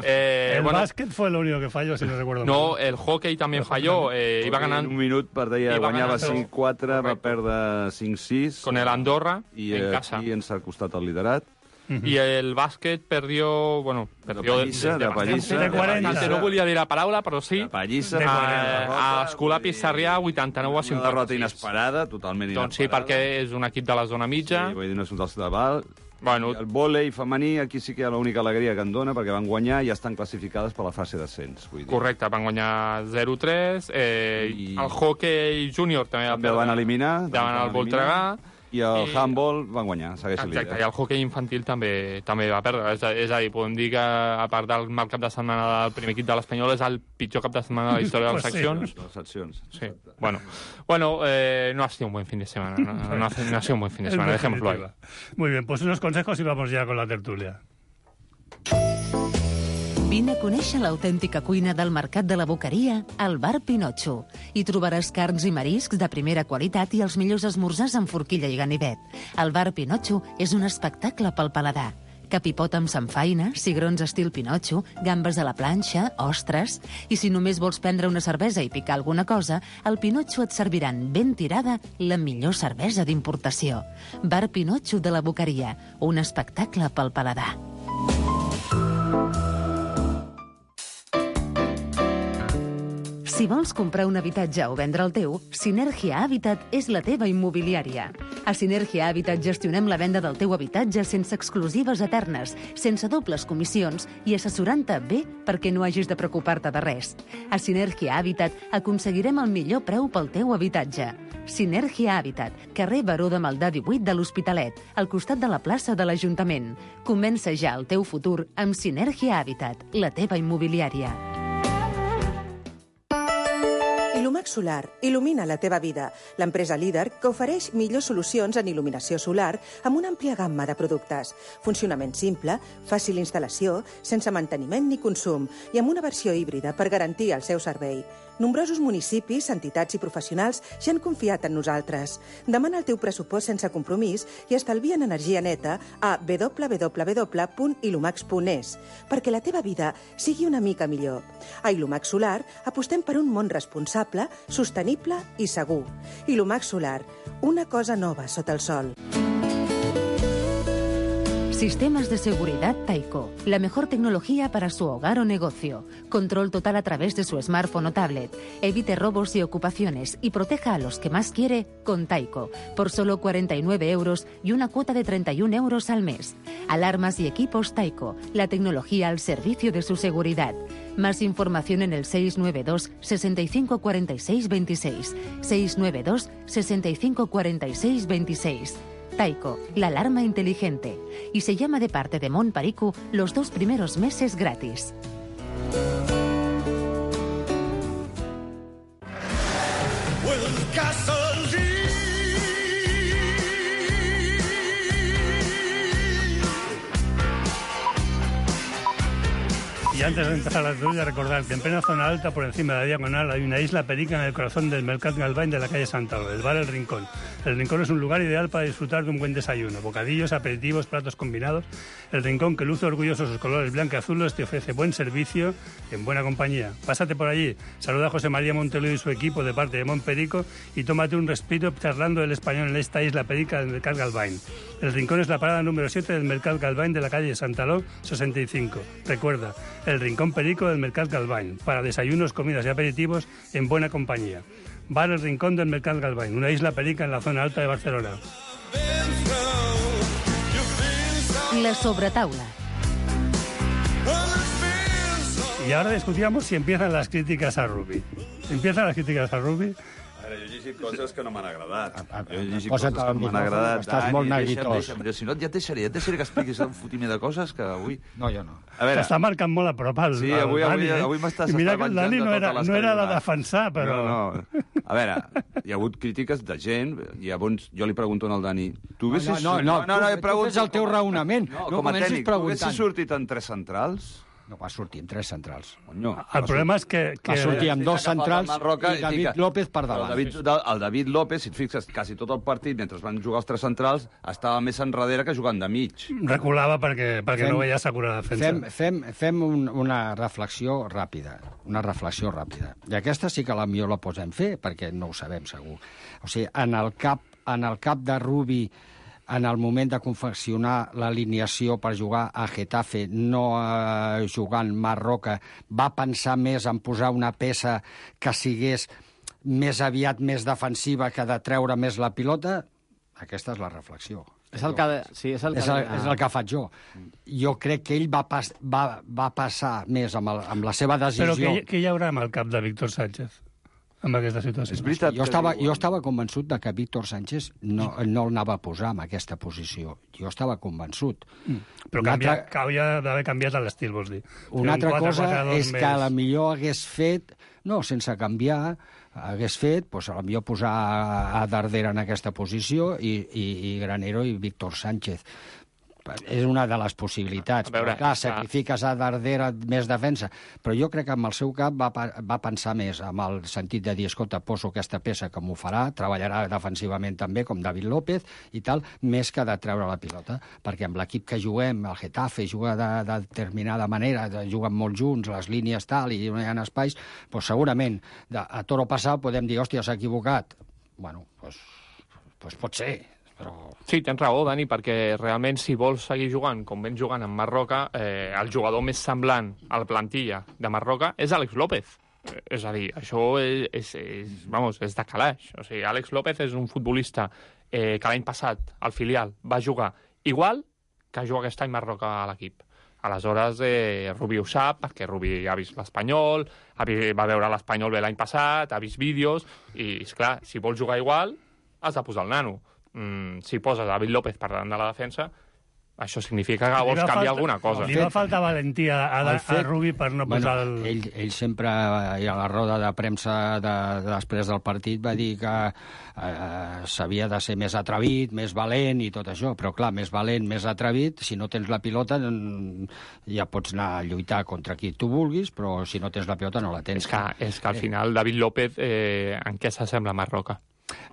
Eh, el bueno, básquet fue lo único que falló, si no recuerdo no, mal. el hockey también falló. Eh, iba ganando un minut per deia, Iba guanyava ganando. cinc quatre, va perdre cinc sis. con el Andorra i en aquí casa. ens ha costat el liderat. Y el básquet perdió, bueno, perdió pallissa, de bastante, pallissa. de De quaranta. bastante. No volia dir la paraula, però sí. De pallissa, Eh, de quaranta. a Escolà Sarrià, vuitanta-nou a Una cinquanta-sis. derrota inesperada, totalment inesperada. Doncs sí, perquè és un equip de la zona mitja. Sí, vull dir, no és un dels de val. Bueno. I el vòlei femení, aquí sí que hi ha l'única alegria que en dona, perquè van guanyar i ja estan classificades per la fase d'ascens. Vull dir. Correcte, van guanyar zero tres. Eh, I- El hockey júnior també, També el van eliminar. davant el Voltregà. I el I- handball van guanyar, segueix el Exacte, líder. i el hockey infantil també també va perdre. És a, és a dir, podem dir que, a part del mal cap de setmana del primer equip de l'Espanyol, és el pitjor cap de setmana de la història de les Pues sí. seccions. De les seccions. Sí, bueno, bueno eh, no ha sido un buen fin de semana. No, no, ha, no ha sido un buen fin de En semana, dejémoslo ahí. definitiva. Muy bien, pues unos consejos y vamos ya con la tertulia. Vine a conèixer l'autèntica cuina del Mercat de la Boqueria al Bar Pinotxo. Hi trobaràs carns i mariscs de primera qualitat i els millors esmorzars amb forquilla i ganivet. El Bar Pinotxo és un espectacle pel paladar. Capipot amb samfaina, cigrons estil Pinotxo, gambes a la planxa, ostres... I si només vols prendre una cervesa i picar alguna cosa, al Pinotxo et serviran ben tirada la millor cervesa d'importació. Bar Pinotxo de la Boqueria, un espectacle pel paladar. Si vols comprar un habitatge o vendre el teu, Sinergia Habitat és la teva immobiliària. A Sinergia Habitat gestionem la venda del teu habitatge sense exclusives eternes, sense dobles comissions i assessorant-te bé perquè no hagis de preocupar-te de res. A Sinergia Habitat aconseguirem el millor preu pel teu habitatge. Sinergia Habitat, carrer Baró de Maldà divuit de l'Hospitalet, al costat de la plaça de l'Ajuntament. Comença ja el teu futur amb Sinergia Habitat, la teva immobiliària. Ilumax Solar il·lumina la teva vida. L'empresa líder que ofereix millors solucions en il·luminació solar amb una àmplia gamma de productes. Funcionament simple, fàcil instal·lació, sense manteniment ni consum i amb una versió híbrida per garantir el seu servei. Nombrosos municipis, entitats i professionals ja han confiat en nosaltres. Demana el teu pressupost sense compromís i estalvia en energia neta a w w w punt ilumax punt es perquè la teva vida sigui una mica millor. A Ilumax Solar apostem per un món responsable, sostenible i segur. Ilumax Solar, una cosa nova sota el sol. Sistemas de seguridad Taiko. La mejor tecnología para su hogar o negocio. Control total a través de su smartphone o tablet. Evite robos y ocupaciones y proteja a los que más quiere con Taiko. Por solo cuarenta y nueve euros y una cuota de treinta y un euros al mes. Alarmas y equipos Taiko. La tecnología al servicio de su seguridad. Más información en el seis nueve dos, sesenta y cinco, cuarenta y seis, veintiséis. seis nueve dos, sesenta y cinco, cuarenta y seis, veintiséis. Taiko, la alarma inteligente. Y se llama de parte de Mon Paricu los dos primeros meses gratis. Y antes de empezar la tertulia, recordar que en plena zona alta, por encima de la diagonal, hay una isla perica en el corazón del Mercat Galvany de la calle Santalo, el bar El Rincón. El Rincón es un lugar ideal para disfrutar de un buen desayuno. Bocadillos, aperitivos, platos combinados. El Rincón, que luce orgulloso sus colores blanco y azules, te ofrece buen servicio en buena compañía. Pásate por allí, saluda a José María Montelo y su equipo de parte de Montperico y tómate un respiro charlando el español en esta isla perica del Mercat Galvany. El Rincón es la parada número siete del Mercat Galvany de la calle Santaló sesenta y cinco. Recuerda, el Rincón Perico del Mercat Galvany, para desayunos, comidas y aperitivos en buena compañía. Bar El Rincón del Mercat Galvany, una isla perica en la zona alta de Barcelona. La sobretaula. Y ahora discutíamos si empiezan las críticas a Rubi. ¿Empiezan las críticas a Rubi? A veure, jo he llegit coses que no m'han agradat. Jo he llegit Posa't coses que no m'han agradat. estàs molt neguitós. Deixa'm, deixa'm. Si no, ja et deixaré, ja et deixaré que expliquis un fotiment de coses que avui... No, jo no. A veure... T'està marcant molt a prop el, sí, el avui, Dani, avui, eh? avui m'estàs I mira que el venjant Dani de no era, totes les no era de caigudes. defensar, però... No, no. A veure, hi ha hagut crítiques de gent, i llavors jo li pregunto al Dani... Tu haguessis... No, no, no, no, no, tu, tu fes el teu raonament. No, no com a comencis tècnic, tu preguntant. haguessis sortit en tres centrals... No va sortir en tres centrals. Conyo, el problema és que... que... Va sortir amb dos centrals Marroca, i David que... López per davant. El David, el David López, si et fixes, quasi tot el partit, mentre van jugar els tres centrals, estava més enrere que jugant de mig. Reculava perquè, perquè Fem- no veia assegurar la defensa. Fem, fem, fem un, una reflexió ràpida, una reflexió ràpida. I aquesta sí que la millor la podem fer, perquè no ho sabem segur. O sigui, en el cap, en el cap de Rubi, en el moment de confeccionar l'alineació per jugar a Getafe, no eh, jugant Marroca, va pensar més en posar una peça que sigués més aviat més defensiva que de treure més la pilota? Aquesta és la reflexió. És el que... Sí, és el que... És el, és el que faig jo. Jo crec que ell va, pas, va, va passar més amb, el, amb la seva decisió... Però què, què hi haurà amb el cap de Víctor Sánchez? Amb aquesta situació. És veritat Jo que estava, diuen- jo estava convençut de que Víctor Sánchez no, no el anava a posar en aquesta posició. Jo estava convençut. Però Una canvia, altra- que hauria d'haver canviat l'estil, vols dir? Fer Una un altra quatre cosa quatre dos és més- que a la millor hagués fet, no, sense canviar, hagués fet, doncs a la millor posar a, a Dardera en aquesta posició i, i, i Granero i Víctor Sánchez. És una de les possibilitats. A veure, però, clar, és que- sacrifiques a Dardera més defensa. Però jo crec que amb el seu cap va, pa- va pensar més amb el sentit de dir, escolta, poso aquesta peça que m'ho farà, treballarà defensivament també, com David López i tal, més que de treure la pilota. Perquè amb l'equip que juguem, el Getafe juga de, de determinada manera, de, juguen molt junts, les línies tal, i no hi ha espais, doncs segurament de, a toro passat podem dir, hòstia, s'ha equivocat. Bueno, doncs, doncs pot ser, però... Sí, tens raó, Dani, perquè realment si vols seguir jugant com ven jugant en Marroca, eh, el jugador més semblant a la plantilla de Marroca és Àlex López. Eh, És a dir, això és, és, és, vamos, és de calaix. O sigui, Àlex López és un futbolista eh, que l'any passat, al filial, va jugar igual que juga aquest any Marroca a l'equip. Aleshores, eh, Rubi ho sap, perquè Rubi ha vist l'Espanyol, ha vi- va veure l'Espanyol bé l'any passat, ha vist vídeos, i, esclar, si vols jugar igual, has de posar el nano. Mm, si poses David López per davant de la defensa, això significa que vols Li va canviar falta- alguna cosa. Li va faltar valentia a, a, El fet- a Rubi per no posar el... Ell, ell sempre, i a la roda de premsa de, de després del partit, va dir que eh, s'havia de ser més atrevit, més valent i tot això. Però, clar, més valent, més atrevit, si no tens la pilota, mm, ja pots anar a lluitar contra qui tu vulguis, però si no tens la pilota no la tens. És que, és que al final David López eh, en què s'assembla a Marroca?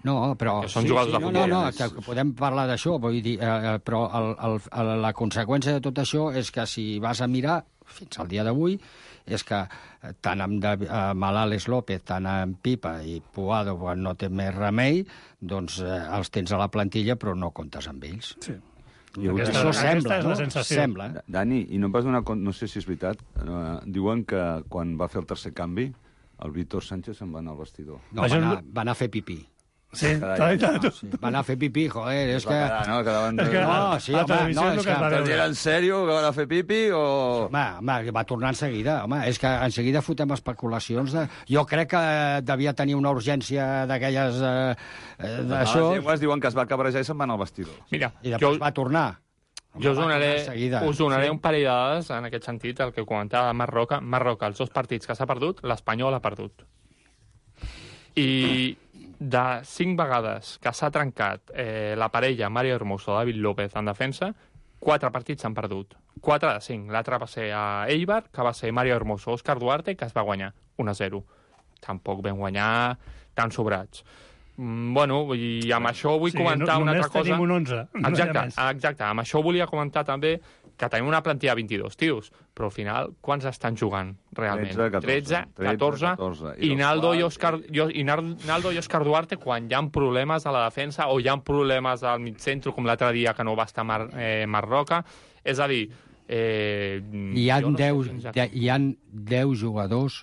No, però... Que són jugadors de no, futbol. no, no, que, que podem parlar d'això, vull dir, eh, però el, el, el, la conseqüència de tot això és que si vas a mirar, fins al dia d'avui, és que eh, tant amb, de, amb l'Àlex López, tant amb Pipa i Puado, quan no té més remei, doncs eh, els tens a la plantilla, però no comptes amb ells. Sí. I Aquesta- Això aquesta sembla, és la no? sensació. Sembla. Dani, i no em vas donar compte, no sé si és veritat, eh, diuen que quan va fer el tercer canvi, el Víctor Sánchez se'n va anar al vestidor. No, va anar, va anar a fer pipí. Sí, Carai, t'ha dit tu. Sí, va anar a fer pipí, joder, és Es que... va quedar, no? Quedaven... És que No, a- sí, a home, televisió no, és el és que es va que- Però era en sèrio que van a fer pipi o...? Home, home, va tornar en seguida. Home, és que en seguida fotem especulacions de... Jo crec que devia tenir una urgència d'aquelles... Eh, eh, d'això, Les llengües diuen que es va cabrejar i se'n va anar al vestidor. Mira, i després jo, va tornar. jo us va donaré, tornar en seguida. us donaré Sí. un parell de dades en aquest sentit, el que comentava Marroca. Marroca, els dos partits que s'ha perdut, l'Espanyol ha perdut. I de cinc vegades que s'ha trencat eh, la parella Mario Hermoso-David López en defensa, quatre partits s'han perdut. quatre de cinc. L'altre va ser a Eibar, que va ser Mario Hermoso, Òscar Duarte, que es va guanyar un a zero. Tampoc vam guanyar tan sobrats. Mm, bueno, i amb això vull sí, comentar no, una altra cosa. Només tenim un onze. Exacte, exacte. Amb això volia comentar també que tenim una plantilla de vint-i-dos tios, però al final, quants estan jugant realment? tretze, catorze, catorze. I, Naldo i, Òscar, i Naldo i Òscar Duarte, quan hi ha problemes a la defensa o hi ha problemes al mig centre, com l'altre dia que no va estar Mar, eh, Marroca, és a dir... Eh, hi, ha no deu, sé hi ha deu jugadors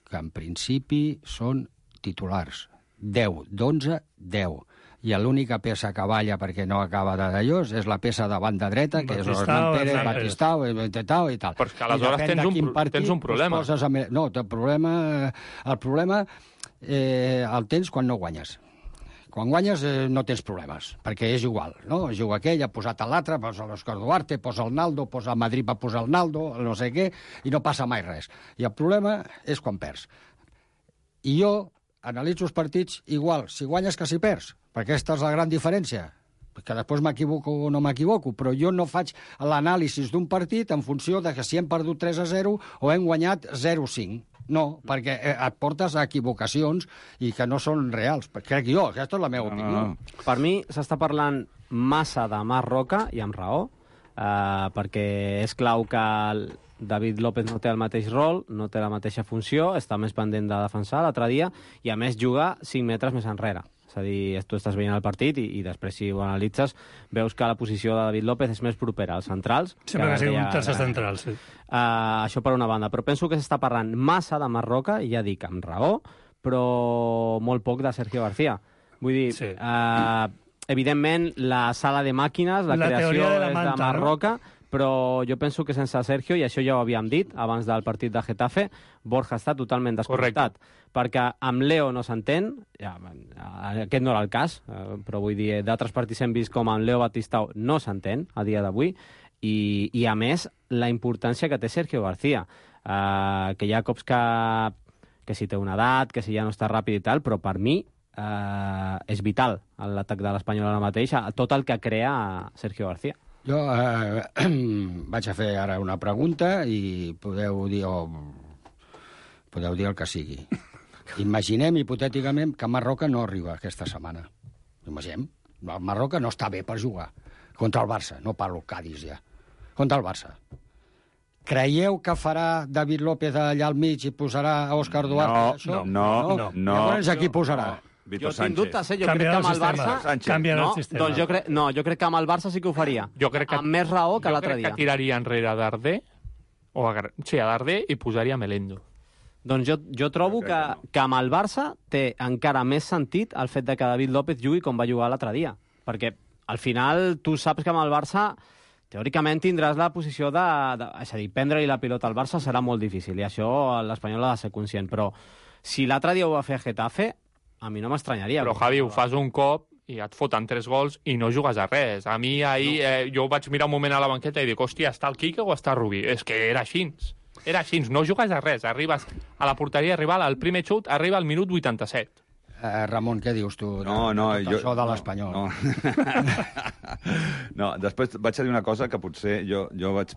que en principi són titulars. deu, d'onze, deu. I l'única peça que balla perquè no acaba de d'allò és la peça de banda dreta, que és Osman Pérez, Batistao, Batistao i tal. Però és que aleshores tens un, partit, tens un problema. Amb... No, el problema, el problema eh, el tens quan no guanyes. Quan guanyes eh, no tens problemes, perquè és igual, no? Juga aquell, ha posat l'altre, posa l'Òscar Duarte, posa el Naldo, posa el Madrid, va posar el Naldo, no sé què, i no passa mai res. I el problema és quan perds. I jo analitzo els partits igual, si guanyes que si perds, perquè aquesta és la gran diferència, que després m'equivoco o no m'equivoco, però jo no faig l'anàlisi d'un partit en funció de que si hem perdut tres a zero o hem guanyat zero a cinc. No, perquè et portes a equivocacions i que no són reals. Crec jo, aquesta és la meva opinió. No. Per mi s'està parlant massa de Marc Roca, i amb raó, eh, perquè és clau que el David López no té el mateix rol, no té la mateixa funció, està més pendent de defensar l'altre dia, i a més juga cinc metres més enrere. És a dir, tu estàs veient el partit i, i després, si ho analitzes, veus que la posició de David López és més propera als centrals. Sempre que, que sigui un tercer central, sí. Uh, això per una banda. Però penso que s'està parlant massa de Marc Roca, i ja dic, amb raó, però molt poc de Sergio García. Vull dir, sí. uh, evidentment, la sala de màquines, la, la creació de la manta, és de Marc Roca, no? Però jo penso que sense Sergio, i això ja ho havíem dit abans del partit de Getafe, Borja està totalment desconnectat. Perquè amb Leo no s'entén, ja, aquest no era el cas, però vull dir, d'altres partits hem vist com amb Leo Batistao no s'entén a dia d'avui, i, i a més la importància que té Sergio García, uh, que hi ha cops que, que si té una edat, que si ja no està ràpid i tal, però per mi uh, és vital l'atac de l'Espanyol ara mateix, tot el que crea Sergio García. Jo eh, vaig a fer ara una pregunta i podeu dir, o, podeu dir el que sigui. Imaginem, hipotèticament, que Marroca no arriba aquesta setmana. Imaginem. Marroca no està bé per jugar. Contra el Barça. No parlo Cádiz ja. Contra el Barça. Creieu que farà David López allà al mig i posarà a Òscar Duarte? No, això? no, no, no. no. Llavors, aquí posarà? No. Víctor jo Sánchez. tinc dubtes, eh? Jo Canviarà crec que amb el, el Barça... Sánchez. Canviarà no, el sistema. Doncs jo crec... No, jo crec que amb el Barça sí que ho faria. Jo crec que... Amb més raó que l'altre dia. Jo crec que tiraria enrere Darder, o a... sí, a Darder, i posaria Melendo. Doncs jo, jo trobo que, que, que amb el Barça té encara més sentit el fet de que David López jugui com va jugar l'altre dia. Perquè al final tu saps que amb el Barça teòricament tindràs la posició de... de és a dir, prendre-li la pilota al Barça serà molt difícil, i això l'Espanyol ha de ser conscient. Però si l'altre dia ho va fer Getafe, a mi no m'estranyaria. Però, Javi, ho fas un cop i et foten tres gols i no jugues a res. A mi ahir, no. eh, jo vaig mirar un moment a la banqueta i dic, hòstia, està el Quique o està Rubí? És que era així. Era així, no jugues a res. Arribes a la porteria rival, el primer xut arriba al minut vuitanta-set. Uh, Ramon, què dius tu? De, no, no, de tot jo... això de l'Espanyol. No, no. no, després vaig a dir una cosa que potser jo, jo vaig...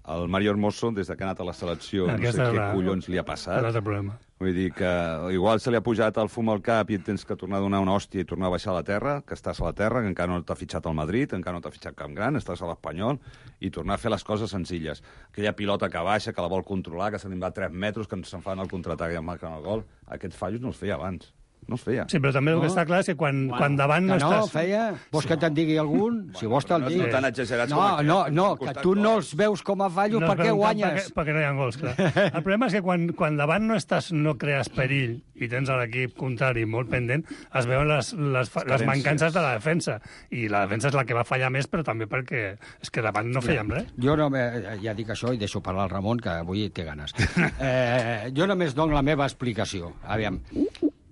El Mario Hermoso, des que ha anat a la selecció, Aquesta no sé què la... collons li ha passat. L'altre problema. Vull dir que igual se li ha pujat el fum al cap i tens que tornar a donar una hòstia i tornar a baixar a la terra, que estàs a la terra, que encara no t'ha fitxat al Madrid, encara no t'ha fitxat Camp Gran, estàs a l'Espanyol, i tornar a fer les coses senzilles. Aquella pilota que baixa, que la vol controlar, que se li va tres metres, que se'n fan el contraatac i en marquen el gol. Aquests fallos no els feia abans. No es feia. Sí, però també el que no? està clar és que quan, bueno, quan davant no, no estàs... No, feia... Vols sí. que te'n digui algun? Bueno, si vols te'l no dic. No tan exagerats no, com no, no, que tu no els veus com a fallo no perquè guanyes. Perquè, perquè no hi ha gols, clar. El problema és que quan, quan davant no estàs, no crees perill i tens l'equip contrari molt pendent, es veuen les, les, les mancances de la defensa. I la defensa és la que va fallar més, però també perquè és que davant no fèiem res. Jo no me, ja dic això i deixo parlar al Ramon, que avui té ganes. Eh, jo només dono la meva explicació. Aviam.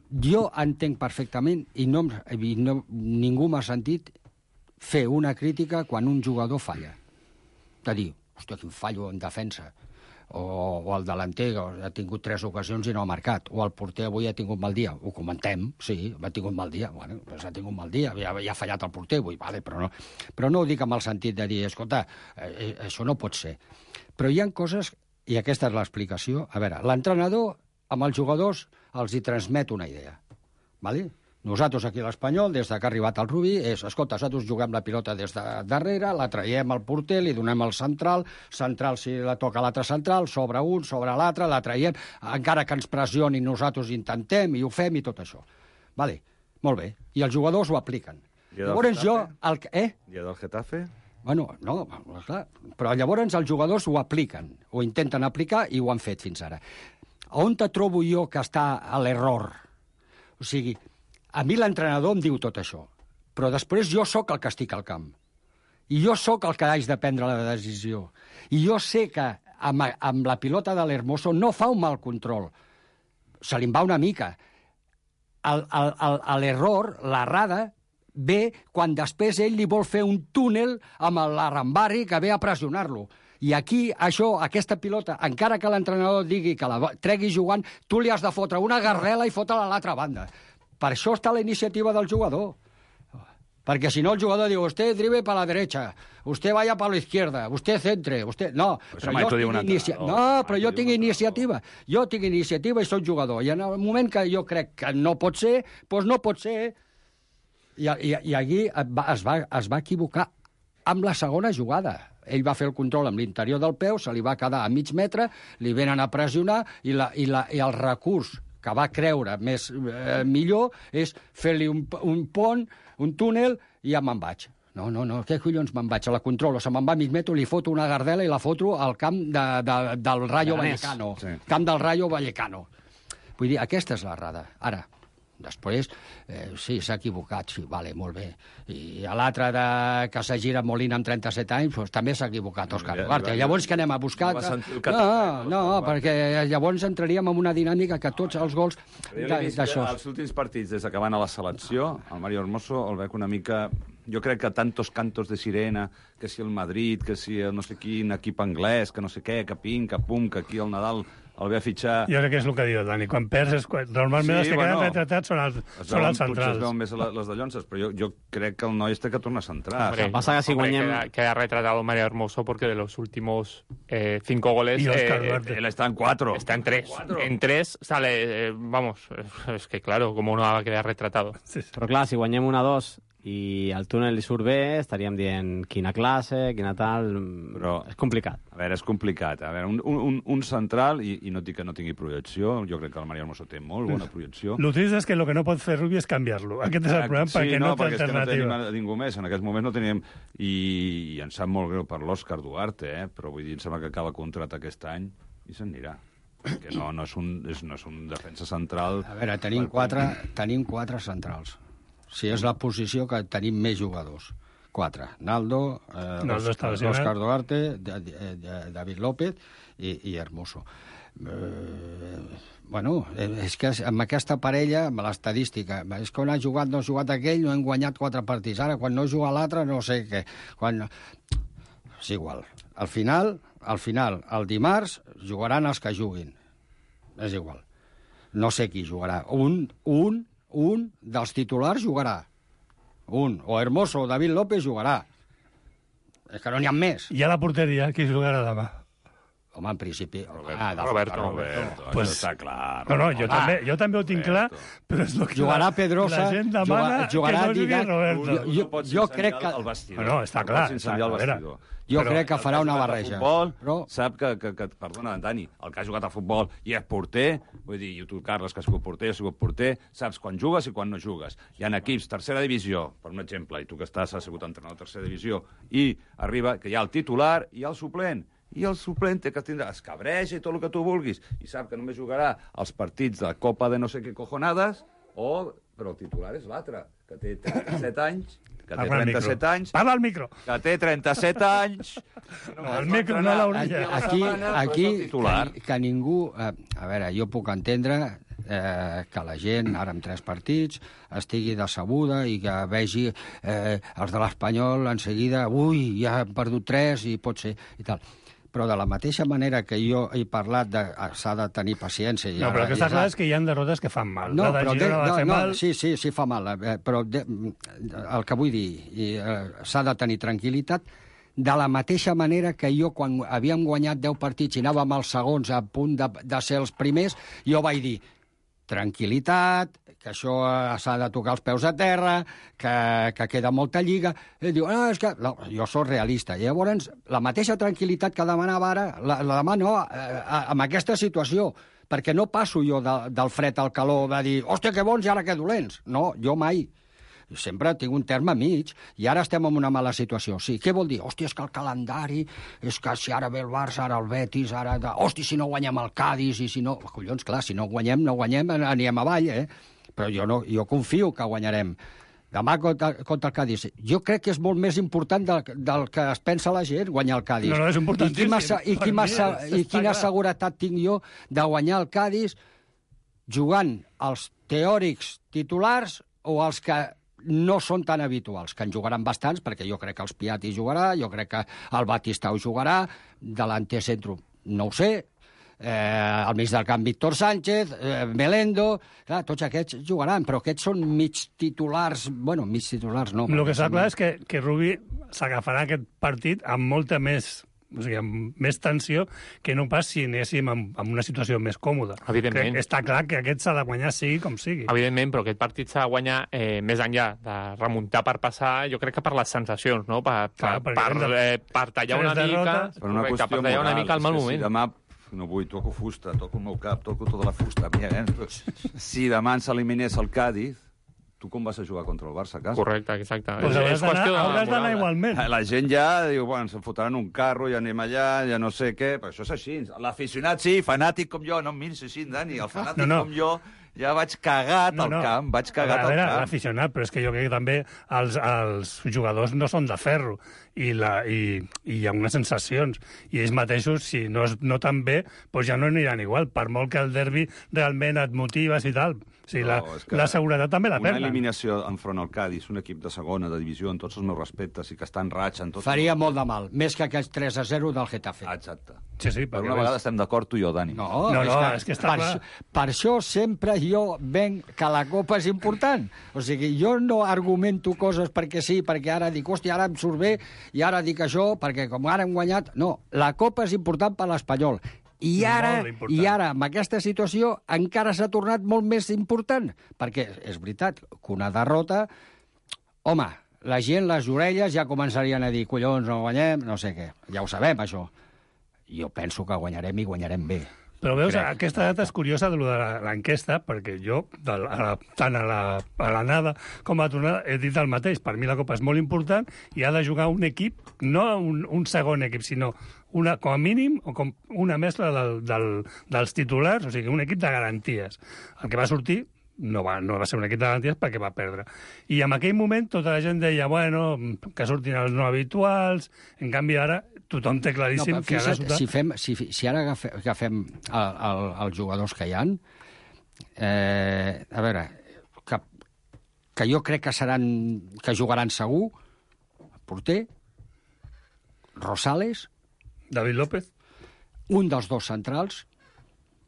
Jo entenc perfectament, i, no, i no, ningú m'ha sentit fer una crítica quan un jugador falla. De dir, hòstia, quin fallo en defensa. o, o el delanter ha tingut tres ocasions i no ha marcat, o el porter avui ha tingut mal dia, ho comentem, sí, ha tingut mal dia, bueno, doncs ha tingut mal dia, ja, ja ha fallat el porter avui, vale, però, no, però no ho dic amb el sentit de dir, escolta, eh, això no pot ser. Però hi ha coses, i aquesta és l'explicació, a veure, l'entrenador amb els jugadors els hi transmet una idea, vale? Nosaltres aquí a l'Espanyol, des que ha arribat el Rubí, és, escolta, nosaltres juguem la pilota des de darrere, la traiem al porter, li donem al central, central si la toca l'altre central, sobre un, sobre l'altre, la traiem, encara que ens pressioni, nosaltres intentem i ho fem i tot això. Vale, molt bé. I els jugadors ho apliquen. Llavors jo... El, eh? Dia del Getafe? Bueno, no, clar, però llavors els jugadors ho apliquen, ho intenten aplicar i ho han fet fins ara. On te trobo jo que està a l'error? O sigui, a mi l'entrenador em diu tot això, però després jo sóc el que estic al camp. I jo sóc el que haig de prendre la decisió. I jo sé que amb, amb la pilota de l'Hermoso no fa un mal control. Se li en va una mica. L'error, l'errada, ve quan després ell li vol fer un túnel amb l'Arambari que ve a pressionar-lo. I aquí, això, aquesta pilota, encara que l'entrenador digui que la tregui jugant, tu li has de fotre una garrela i fotre-la a l'altra banda. Per això està la iniciativa del jugador. Perquè si no el jugador diu, usted drible para la derecha, usted vaya para la izquierda, usted centre, usted... No, però jo, tinc inicia... no, però jo tinc iniciativa. Jo tinc iniciativa i soc jugador. I en el moment que jo crec que no pot ser, doncs no pot ser. I, i, i aquí es va, es va equivocar amb la segona jugada. Ell va fer el control amb l'interior del peu, se li va quedar a mig metre, li venen a pressionar i, la, i, la, i el recurs que va creure més eh, millor és fer-li un, un pont, un túnel, i ja me'n vaig. No, no, no, què collons me'n vaig? A la controlo, se me'n va a mig metre, li foto una gardela i la foto al camp de, de, del Rayo Vallecano. Sí. Camp del Rayo Vallecano. Vull dir, aquesta és l'errada. Ara, després, eh, sí, s'ha equivocat, sí, vale, molt bé. I a l'altre de que s'ha girat Molina amb trenta-set anys, doncs també s'ha equivocat Òscar Duarte. Llavors què anem a buscar? No, no, perquè llavors entraríem en una dinàmica que tots els gols d'això... Els últims partits, des que van a la selecció, el Mario Hermoso el veig una mica... Jo crec que tantos cantos de sirena, que si el Madrid, que si el no sé quin equip anglès, que no sé què, que pim, que pum, que aquí el Nadal el ve a fitxar... Jo crec que és el que diu Dani. Quan perds, és... normalment sí, els que bueno, queden retratats són els, són els centrals. Potser es veuen més les de Llonses, però jo, jo crec que el noi té que tornar a centrar. Hombre, pasa que si guanyem... Queda, queda retratado Mario Hermoso porque de los últimos eh, cinco goles... Y Oscar eh, Duarte. Él está en cuatro. Está en tres. ¿Cuatro? En tres sale... Eh, vamos, es que claro, como uno va a quedar retratado. Sí, sí. Però clar, si guanyem una dos i el túnel li surt bé, estaríem dient quina classe, quina tal... Però és complicat. A veure, és complicat. A veure, un, un, un central, i, i no dic que no tingui projecció, jo crec que el Mario Hermoso té molt bona projecció. Lo trist és que el que no pot fer Rubi és canviar-lo. Aquest és el problema, sí, perquè no, no té perquè alternativa. Sí, no tenim ningú més. En aquests moments no teníem... I, i em sap molt greu per l'Òscar Duarte, eh? Però vull dir, em sembla que acaba contracte aquest any i se'n anirà. Perquè no, no, és un, és, no és un defensa central... A veure, tenim quatre, tenim quatre centrals. Si és la posició que tenim més jugadors. Quatre. Naldo, eh, Naldo Òscar Duarte, de, de, de, David López i, i Hermoso. Eh, bueno, és que amb aquesta parella, amb l'estadística, és que on ha jugat, no ha jugat aquell, no hem guanyat quatre partits. Ara, quan no juga l'altre, no sé què. Quan... És igual. Al final, al final, el dimarts, jugaran els que juguin. És igual. No sé qui jugarà. Un, un, un dels titulars jugarà. Un. O Hermoso o David López jugarà. És que no n'hi ha més. I a la porteria, qui jugarà demà? Home, en principi... Roberto, ah, Roberto, Roberto, pues, això està clar. No, no, jo, ah, també, jo també ho tinc clar, però és el que jugarà Pedrosa, la gent demana jugarà, que no jugui Roberto. Jo, jo, jo, jo crec que... El no, està clar. Està, el vestidor. Jo però crec que farà una barreja. Futbol, però... sap que, que, que, perdona, Dani, el que ha jugat a futbol i és porter, vull dir, i tu, Carles, que has sigut porter, has sigut porter, saps quan jugues i quan no jugues. Hi ha equips, tercera divisió, per un exemple, i tu que estàs, has sigut entrenador de tercera divisió, i arriba que hi ha el titular i el suplent. I el suplent té que tindrà escabreja i tot el que tu vulguis, i sap que només jugarà els partits de la Copa de no sé què cojonades, o... però el titular és l'altre, que té trenta-set anys, que té trenta-set anys... Parla al micro! Que té trenta-set anys... No, el micro no l'hauria. Aquí, aquí que, que ningú... Eh, a veure, jo puc entendre eh, que la gent, ara amb tres partits, estigui decebuda i que vegi eh, els de l'Espanyol en seguida, ui, ja han perdut tres i pot ser, i tal. però de la mateixa manera que jo he parlat de s'ha de tenir paciència... No, però el que està clar és que hi ha derrotes que fan mal. No, la però de Girona de, va no, fer no, mal... sí, sí, sí fa mal, eh, però de, el que vull dir, i, eh, s'ha de tenir tranquil·litat, de la mateixa manera que jo, quan havíem guanyat deu partits i anàvem als segons a punt de, de ser els primers, jo vaig dir, tranquil·litat, que això s'ha de tocar els peus a terra, que, que queda molta lliga. I diu, no, és que... No, jo sóc realista. I llavors, la mateixa tranquil·litat que demanava ara, la, la demano eh, amb aquesta situació, perquè no passo jo de, del fred al calor de dir, hòstia, que bons i ara que dolents. No, jo mai. Sempre tinc un terme mig, i ara estem en una mala situació. Sí, què vol dir? Hòstia, és que el calendari, és que si ara ve el Barça, ara el Betis, ara... De... Hòstia, si no guanyem el Cádiz, i si no... Collons, clar, si no guanyem, no guanyem, anirem avall, eh? Però jo, no, jo confio que guanyarem. Demà contra, contra el Cádiz. Jo crec que és molt més important del, del que es pensa la gent, guanyar el Cádiz. No, no, és importantíssim. I, qui i, qui i quina seguretat tinc jo de guanyar el Cádiz jugant els teòrics titulars o els que no són tan habituals, que en jugaran bastants, perquè jo crec que els Piatti jugarà, jo crec que el Batistau jugarà, delanter centro, no ho sé, eh, al mig del camp Víctor Sánchez, eh, Melendo, clar, tots aquests jugaran, però aquests són mig titulars, bueno, mig titulars no. El que està clar és que, que Rubi s'agafarà aquest partit amb molta més... O sigui, amb més tensió que no pas si anéssim en, en una situació més còmoda. Evidentment. Crec, està clar que aquest s'ha de guanyar sigui com sigui. Evidentment, però aquest partit s'ha de guanyar eh, més enllà de remuntar per passar, jo crec que per les sensacions, no? Per, clar, per, per, eh, per tallar una mica, per una correcte, per tallar moral, una mica el mal si moment. demà no vull, toco fusta, toco el meu cap, toco tota la fusta. Mira, eh? Si demà ens eliminés el Cádiz, tu com vas a jugar contra el Barça a casa? Correcte, exacte. Pues és, és qüestió de hauràs d'anar igualment. La gent ja diu, bueno, se'n fotran un carro, ja anem allà, ja no sé què, però això és així. L'aficionat, sí, fanàtic com jo, no em miris així, Dani, el fanàtic no, no. com jo, ja vaig cagat no, al no. camp, vaig cagat a veure, al camp. L'aficionat, però és que jo crec que també els, els jugadors no són de ferro i, la, i, i hi ha unes sensacions i ells mateixos, si no es noten bé, doncs ja no aniran igual, per molt que el derbi realment et motives i tal. O sigui, No, la, és que la seguretat també la Una perden. eliminació enfront al Cádiz, un equip de segona, de divisió, amb tots els meus respectes, i que està en ratxa... En tot... Faria molt de mal, més que aquests tres a zero del Getafe. Exacte. Sí, sí, Per una vegada estem d'acord tu i jo, Dani. No, No, és no, que, és que està per, clar. això- per això sempre jo venc que la Copa és important. O sigui, jo no argumento coses perquè sí, perquè ara dic, hòstia, ara em surt bé, i ara dic això, perquè com ara hem guanyat... No, la Copa és important per l'Espanyol. I ara, Molt important. I ara, amb aquesta situació, encara s'ha tornat molt més important, perquè és veritat que una derrota... Home, la gent, les orelles, ja començarien a dir collons, no guanyem, no sé què. Ja ho sabem, això. Jo penso que guanyarem i guanyarem bé. Però veus, Crec. aquesta data és curiosa de, lo de la- l'enquesta, perquè jo, de la, a la, tant a la, a l'anada com a la tornada, he dit el mateix. Per mi la Copa és molt important i ha de jugar un equip, no un, un segon equip, sinó una, com a mínim o com una mescla del, del, dels titulars, o sigui, un equip de garanties. El que va sortir no va, no va ser un equip de garanties perquè va perdre. I en aquell moment tota la gent deia, bueno, que surtin els no habituals, en canvi ara tothom té claríssim No, que ha de fixa't, sortir... si, fem, si, si ara agafem, agafem el, el, els jugadors que hi ha, eh, a veure, que, que jo crec que seran que jugaran segur, porter, Rosales, David López, un dels dos centrals,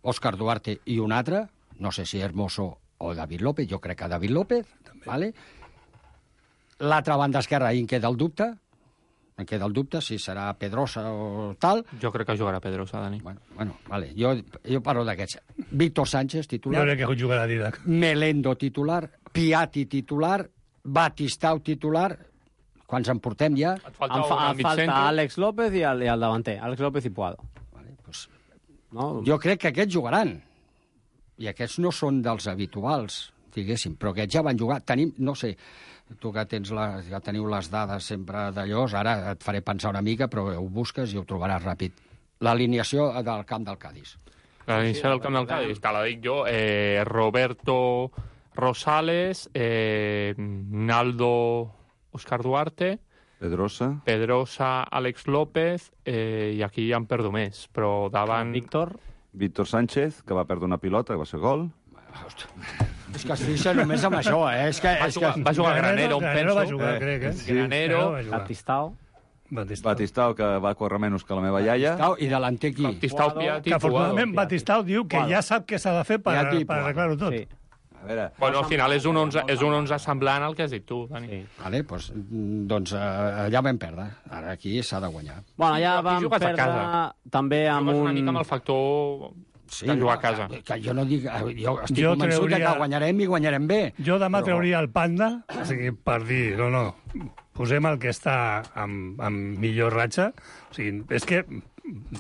Òscar Duarte i un altre, no sé si Hermoso o David López, jo crec que David López, vale? L'altra banda esquerra, ahir en queda el dubte, em queda el dubte si serà Pedrosa o tal. Jo crec que jugarà Pedrosa, Dani. Bueno, bueno vale. jo, jo parlo d'aquests. Víctor Sánchez, titular. jo crec que jugarà Didac. Melendo, titular. Piatti, titular. Batistau, titular. Quants en portem ja? Et falta Em, fa, un al em mig falta centre. Àlex López i el, i el davanter. Àlex López i Puado. Vale, pues, No? jo crec que aquests jugaran. I aquests no són dels habituals, diguéssim, però aquests ja van jugar. Tenim, no sé, tu que, tens la, que teniu les dades sempre d'allò, ara et faré pensar una mica, però ho busques i ho trobaràs ràpid. L'alineació del camp del Cádiz. L'inici del camp del Cádiz, te la dic jo. Eh, Roberto Rosales, eh, Naldo Òscar Duarte, Pedrosa. Pedrosa Àlex López, eh, i aquí ja en perdo més, però davant... Víctor. Víctor Sánchez, que va perdre una pilota, que va ser gol. És que es fixa només amb això, eh? És que, Va és jugar, que... va jugar Granero, em Granero penso. va jugar, Eh, crec, eh? sí. Granero, va jugar. Batistao. Batistau. Batistau, que va córrer menys que la meva iaia. Batistau i delanter qui? Batistau, Piatti, Que afortunadament Puado. Batistau diu que ja sap què s'ha de fer per, Piatti, per Puado. arreglar-ho tot. Sí. A veure, Bueno, al final és un onze, és un onze semblant al que has dit tu, Dani. Sí. Vale, doncs, doncs eh, allà vam perdre. Ara aquí s'ha de guanyar. Bueno, allà Aquí vam jugues a perdre casa. també amb Jugues un... una mica amb el factor Sí, de jugar no, a casa. Que, que jo no dic... Jo estic Jo convençut trauria- que guanyarem i guanyarem bé. Jo demà Però- trauria el Panda, o sigui, per dir, no, no, posem el que està amb, amb millor ratxa. O sigui, és que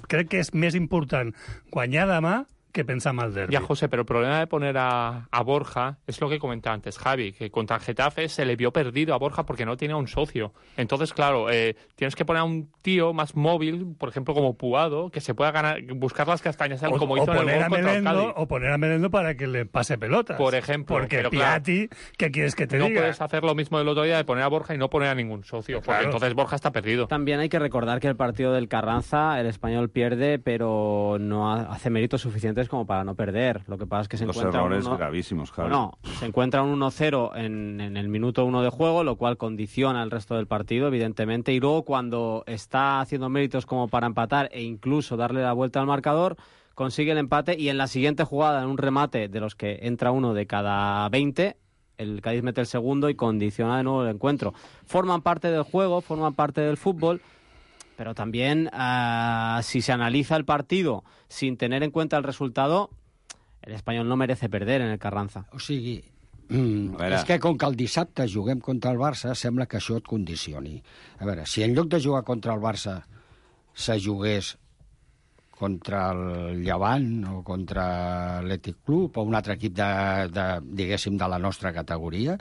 crec que és més important guanyar demà que pensar en el derbi. Ya, José, pero el problema de poner a, a Borja es lo que comentaba antes Javi, que contra el Getafe se le vio perdido a Borja porque no tenía un socio. Entonces, claro, eh, tienes que poner a un tío más móvil, por ejemplo, como Puado, que se pueda ganar, buscar las castañas, O, como o hizo en el poner gol a contra el Melendo, Cádiz. o poner a Melendo para que le pase pelotas. Por ejemplo, Porque pero claro, Piatti, ¿qué quieres que te no diga? puedes hacer lo mismo del otro día de poner a Borja y no poner a ningún socio, porque Claro. entonces Borja está perdido. También hay que recordar que el partido del Carranza, el español pierde, pero no ha- hace méritos suficientes como para no perder. Lo que pasa es que se dos encuentra un errores uno- gravísimos, Javi. Bueno, se encuentra un uno cero en, en el minuto uno de juego, lo cual condiciona el resto del partido, evidentemente. Y luego, cuando está haciendo méritos como para empatar e incluso darle la vuelta al marcador, consigue el empate y en la siguiente jugada, en un remate de los que entra uno de cada veinte, el Cádiz mete el segundo y condiciona de nuevo el encuentro. Forman parte del juego, forman parte del fútbol, pero también uh, si se analiza el partido sin tener en cuenta el resultado, el Espanyol no merece perder en el Carranza. O sigui, mm, és que com que el dissabte juguem contra el Barça, sembla que això et condicioni. A veure, si en lloc de jugar contra el Barça se jugués contra el Llevant o contra l'Atlètic Club o un altre equip de, de, diguéssim, de la nostra categoria,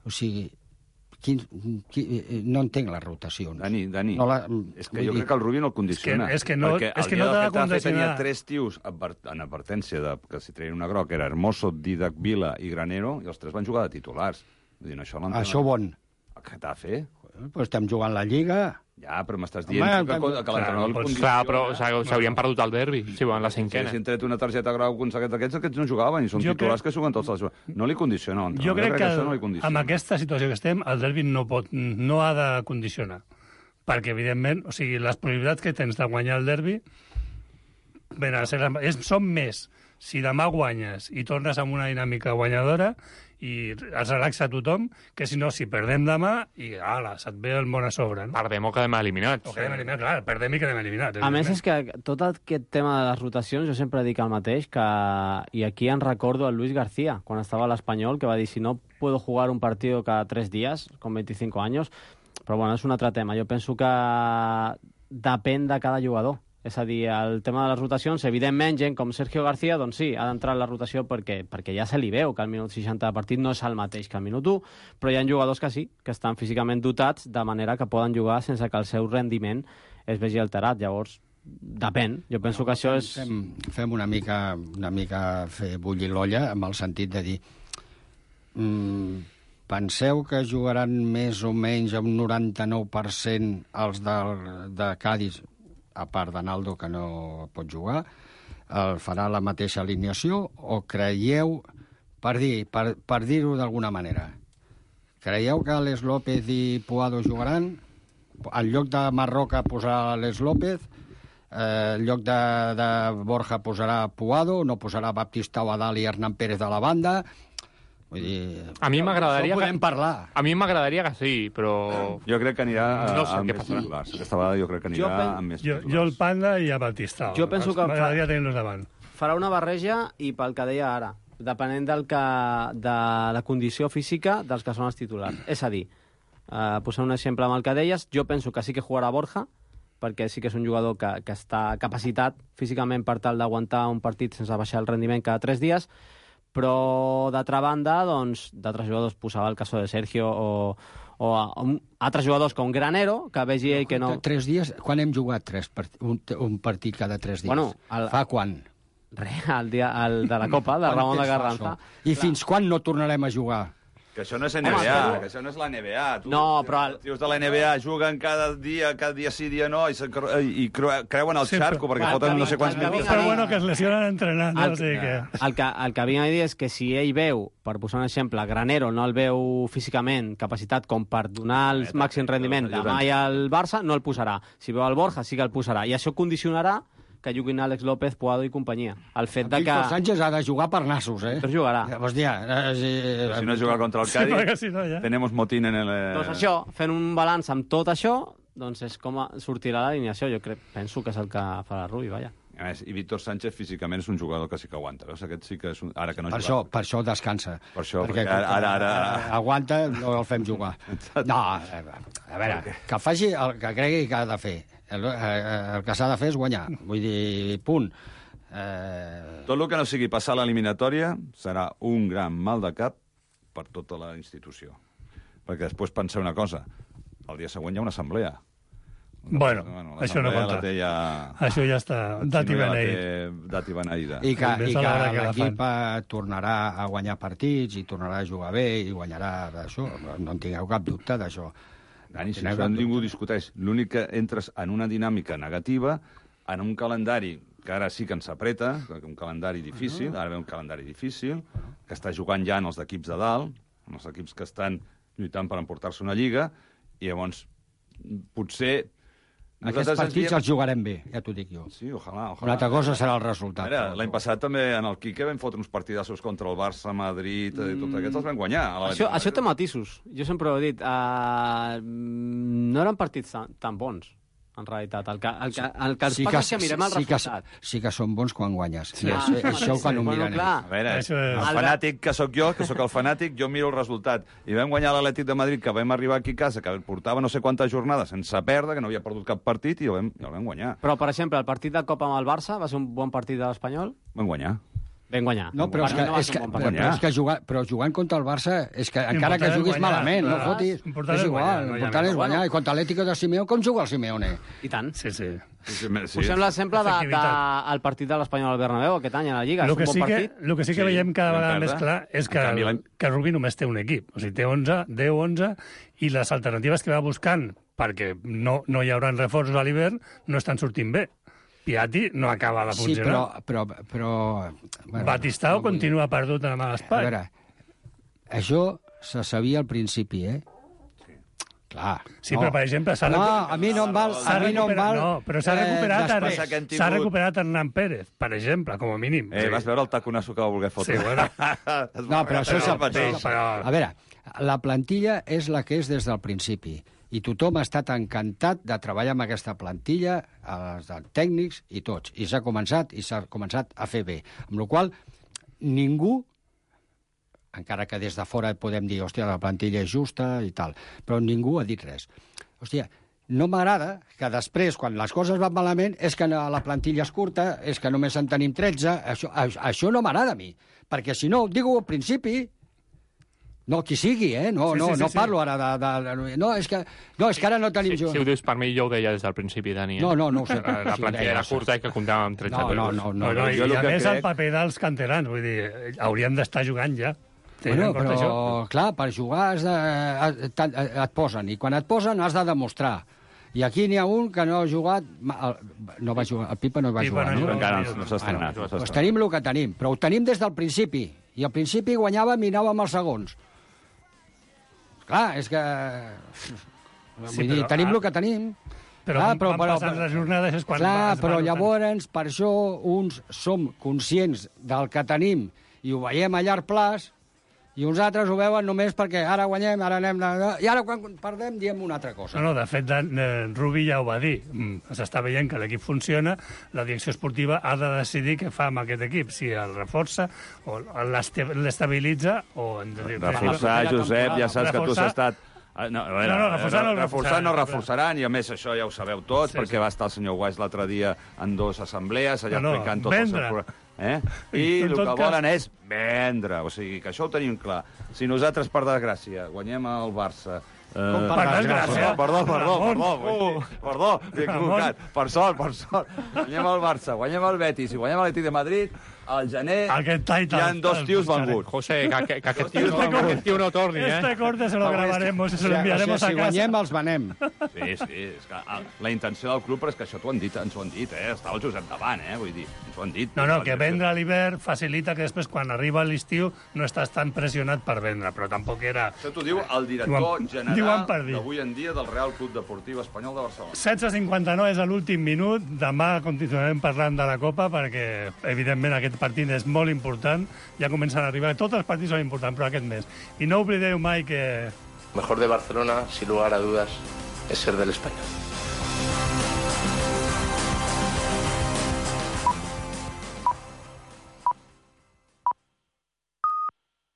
o sigui, quin, quin, no entenc les rotacions. Dani, Dani, no la, és que jo dir... crec que el Rubí no el condiciona. És que- és que no- perquè és que el no dia t'ha del de Getafe condicionar. tenia tres tios advert- en advertència de que si treien una groc era Hermoso, Didac Vila i Granero, i els tres van jugar de titulars. Vull dir, això l'entén. Això on? El Getafe. Pues estem jugant la Lliga. Ja, però m'estàs dient Home, que, que, que l'entrenador el Pues, condiciona. clar, però o sea, s'haurien perdut el derbi, si van la Si cinquena. haguessin tret una targeta grau conseguit aquests, aquests no jugaven, i són Jo titulars crec- que juguen tots els... No li condiciona l'entrenador. Jo crec que, això no li condiciona. amb aquesta situació que estem, el derbi no, pot, no ha de condicionar. Perquè, evidentment, o sigui, les probabilitats que tens de guanyar el derbi ben, és, són més si demà guanyes i tornes amb una dinàmica guanyadora i es relaxa tothom, que si no, si perdem demà i, ala, se't ve el món a sobre. No? Perdem o quedem eliminats. O quedem eliminats, clar, perdem i quedem eliminats. A més, és que tot aquest tema de les rotacions, jo sempre dic el mateix, que, i aquí en recordo el Luis García, quan estava a l'Espanyol, que va dir, si no puedo jugar un partido cada tres días, con veinticinco años, però bueno, és un altre tema. Jo penso que depèn de cada jugador. És a dir, el tema de les rotacions, evidentment, gent com Sergio García, doncs sí, ha d'entrar en la rotació perquè, perquè ja se li veu que el minut seixanta de partit no és el mateix que el minut u, però hi ha jugadors que sí, que estan físicament dotats de manera que poden jugar sense que el seu rendiment es vegi alterat. Llavors, depèn. Jo penso que això és... Fem, fem una mica, una mica fer bullir l'olla amb el sentit de dir mm, penseu que jugaran més o menys un noranta-nou per cent els de, de Cádiz, a part d'Analdo, que no pot jugar, el farà la mateixa alineació, o creieu, per dir, per, per dir-ho d'alguna manera, creieu que Alex López i Puado jugaran? En lloc de Marroca posarà Alex López, eh, en lloc de, de Borja posarà Puado, no posarà Baptistau a dalt i Hernán Pérez de la banda. Vull dir, A mi m'agradaria... això podem que... parlar. A mi m'agradaria que sí, però... Jo crec que anirà No sé amb què més passarà. titulars. Aquesta vegada jo crec que anirà Jo pen- amb més Jo, titulars. jo el Panda i a Batistau. Jo penso que fa- M'agradaria tenir-los davant. farà una barreja i pel que deia ara, depenent del que, de la condició física dels que són els titulars. És a dir, eh, posar un exemple amb el que deies, jo penso que sí que jugarà Borja, perquè sí que és un jugador que, que està capacitat físicament per tal d'aguantar un partit sense baixar el rendiment cada tres dies, però d'altra banda, doncs, d'altres jugadors posava el cas de Sergio o, o a, un, altres jugadors com Granero, que vegi ell que no... Tres dies? Quan hem jugat tres part... un, un partit cada tres dies? Bueno, el- Fa quan? Re, el, dia, el de la Copa, de Quant Ramon de temps fa Carranza. això? I fins quan no tornarem a jugar? Que això no és N B A, que això no és la N B A. Tu, no, però... Els tios de la N B A juguen cada dia, cada dia sí, dia no, i, i creuen el sí, xarco, perquè foten no sé quants mil... Però bueno, que es lesionen entrenant, no? El, o sigui que... el, que, el que vinc a dir és que si ell veu, per posar un exemple, Granero no el veu físicament capacitat com per donar el màxim rendiment demà i al Barça, no el posarà. Si veu el Borja, sí que el posarà. I això condicionarà que juguin Àlex López, Puado i companyia. El fet de que... Víctor Sánchez ha de jugar per nassos, eh? Però jugarà. Hòstia, eh, si no juga contra el Cádiz, sí, si no, ja. tenemos motín en el... Doncs això, fent un balanç amb tot això, doncs és com sortirà l'alineació. Jo crec, penso que és el que farà Rubi, vaja. A més, i Víctor Sánchez físicament és un jugador que sí que aguanta. Veus? Aquest sí que és un... Ara que no per, això, per això descansa. Per això, perquè, perquè ara, ara, ara... aguanta, no el fem jugar. No, a veure, que faci el que cregui que ha de fer. El, el que s'ha de fer és guanyar. Vull dir, punt. Eh... Tot el que no sigui passar l'eliminatòria serà un gran mal de cap per tota la institució. Perquè després penseu una cosa. El dia següent hi ha una assemblea. Bueno, bueno això no compta. Ja... Això ja està dat i beneït. Dat i beneïda. I que, i que l'equip tornarà a guanyar partits i tornarà a jugar bé i guanyarà d'això. No en tingueu cap dubte d'això. Dani, si això ningú discuteix. L'únic que entres en una dinàmica negativa, en un calendari que ara sí que ens apreta, un calendari difícil, ara ve un calendari difícil, que està jugant ja en els equips de dalt, en els equips que estan lluitant per emportar-se una lliga, i llavors potser... Aquests partits els jugarem bé, ja t'ho dic jo. Sí, ojalà, ojalà. Una altra cosa serà el resultat. L'any passat també en el Quique vam fotre uns partidassos contra el Barça, Madrid, mm. i tot aquests els vam guanyar. Això, això té matisos. Jo sempre ho he dit. Uh, no eren partits tan, tan bons, en realitat. El que, el que, el que ens sí passa és que mirem el sí resultat. Que, sí que són bons quan guanyes. Sí, ah, sí, això sí, quan ho bueno, mirem. Clar. A veure, és... el fanàtic que sóc jo, que sóc el fanàtic, jo miro el resultat. I vam guanyar l'Atlètic de Madrid, que vam arribar aquí a casa, que portava no sé quantes jornades sense perdre, que no havia perdut cap partit, i el vam, el vam guanyar. Però, per exemple, el partit de Copa amb el Barça va ser un bon partit de l'Espanyol? Vam guanyar. Ben guanyar. No, però, és que, no és que, bon però, però, és que jugar, però jugant contra el Barça, és que encara que juguis guanyar, malament, clar, no fotis, és igual, l'important és guanyar. I contra l'Atlético de Simeone, com juga el Simeone? I tant. Sí, sí. Sí, sí, sí. Posem l'exemple del de, de, partit de l'Espanyol al Bernabéu aquest any a la Lliga. Lo és un que bon sí partit. Que, lo que sí que sí, veiem cada vegada més clar és que, canvi, que Rubi només té un equip. O sigui, té onze, deu, onze, i les alternatives que va buscant, perquè no, no hi haurà reforços a l'hivern, no estan sortint bé. Piatti no acaba de funcionar. Sí, però... però, però bueno, Batistao no continua perdut en l'espai. A veure, això se sabia al principi, eh? Sí. Clar. Sí, no. però, per exemple... No, a mi no em val... A mi no em val... No, però s'ha recuperat, eh, s'ha tingut... recuperat Hernán Pérez, per exemple, com a mínim. Eh, vas veure el taconasso que va voler fotre? Sí, bueno. No, però això és el mateix. Però... A veure, la plantilla és la que és des del principi. I tothom ha estat encantat de treballar amb aquesta plantilla, els tècnics i tots. I s'ha començat, i s'ha començat a fer bé. Amb la qual ningú, encara que des de fora podem dir, hòstia, la plantilla és justa i tal, però ningú ha dit res. Hòstia, no m'agrada que després, quan les coses van malament, és que la plantilla és curta, és que només en tenim tretze, això, això no m'agrada a mi. Perquè si no, digo al principi... No, qui sigui, eh? No, sí, no, sí, sí, no parlo sí. ara de, de... No, és que, no, és que ara no tenim... Sí, si ho dius per mi, jo ho deia des del principi, Dani. Eh? No, no, no ho sé. La, la plantilla era curta i que comptàvem amb tretze. No, no, no. no, no, no I, i a més crec... el paper dels canterans, vull dir, haurien d'estar jugant ja. Bueno, però, això. clar, per jugar has de, et, et posen, i quan et posen has de demostrar. I aquí n'hi ha un que no ha jugat... No va jugar, el Pipa no va Pipa jugar, no? no? Encara no, no s'ha estrenat. Bueno, doncs tenim el que tenim, però ho tenim des del principi. I al principi guanyàvem i anàvem als segons. Clar, és que... Vull sí, dir, tenim el que tenim. Però clar, però, però, passant les jornades és quan... Clar, però llavors, per això, uns som conscients del que tenim i ho veiem a llarg plaç, i uns altres ho veuen només perquè ara guanyem, ara anem... I ara, quan perdem, diem una altra cosa. No, no, de fet, Rubi ja ho va dir. S'està veient que l'equip funciona, la direcció esportiva ha de decidir què fa amb aquest equip, si el reforça o l'estabilitza o... Reforçar, Josep, ja saps que tu has estat... No, no, no, reforçar no, reforçar no reforçaran, i a més això ja ho sabeu tots, sí, perquè sí. va estar el senyor Weiss l'altre dia en dues assemblees, allà no, explicant no, tot el seu... Eh? I el que volen és vendre, o sigui, que això ho tenim clar. Si nosaltres, per desgràcia, guanyem el Barça... Eh... Com per desgràcia? Perdó, perdó, perdó, perdó, perdó, m'he equivocat. Per sort, per sort. Guanyem el Barça, guanyem el Betis i guanyem l'Atlètic de Madrid, al gener hi ha dos tios venguts. José, que, que aquest tio no, aquest tio no torni, eh? Este corte se lo gravaremos y se lo enviaremos a casa. Si guanyem, els venem. Sí, sí, és que la intenció del club, però és que això t'ho han dit, ens ho han dit, eh? Està el Josep davant, eh? Vull dir, ens ho han dit. No, no, que vendre a l'hivern facilita que després, quan arriba l'estiu, no estàs tan pressionat per vendre, però tampoc era... Això t'ho diu el director general d'avui en dia del Real Club Deportiu Espanyol de Barcelona. setze cinquanta-nou és l'últim minut. Demà continuarem parlant de la Copa perquè, evidentment, aquest partit és molt important. Ja comencen a arribar. Tots els partits són importants, però aquest mes. I no oblideu mai que... Mejor de Barcelona, sin lugar a dudas, es ser del Español.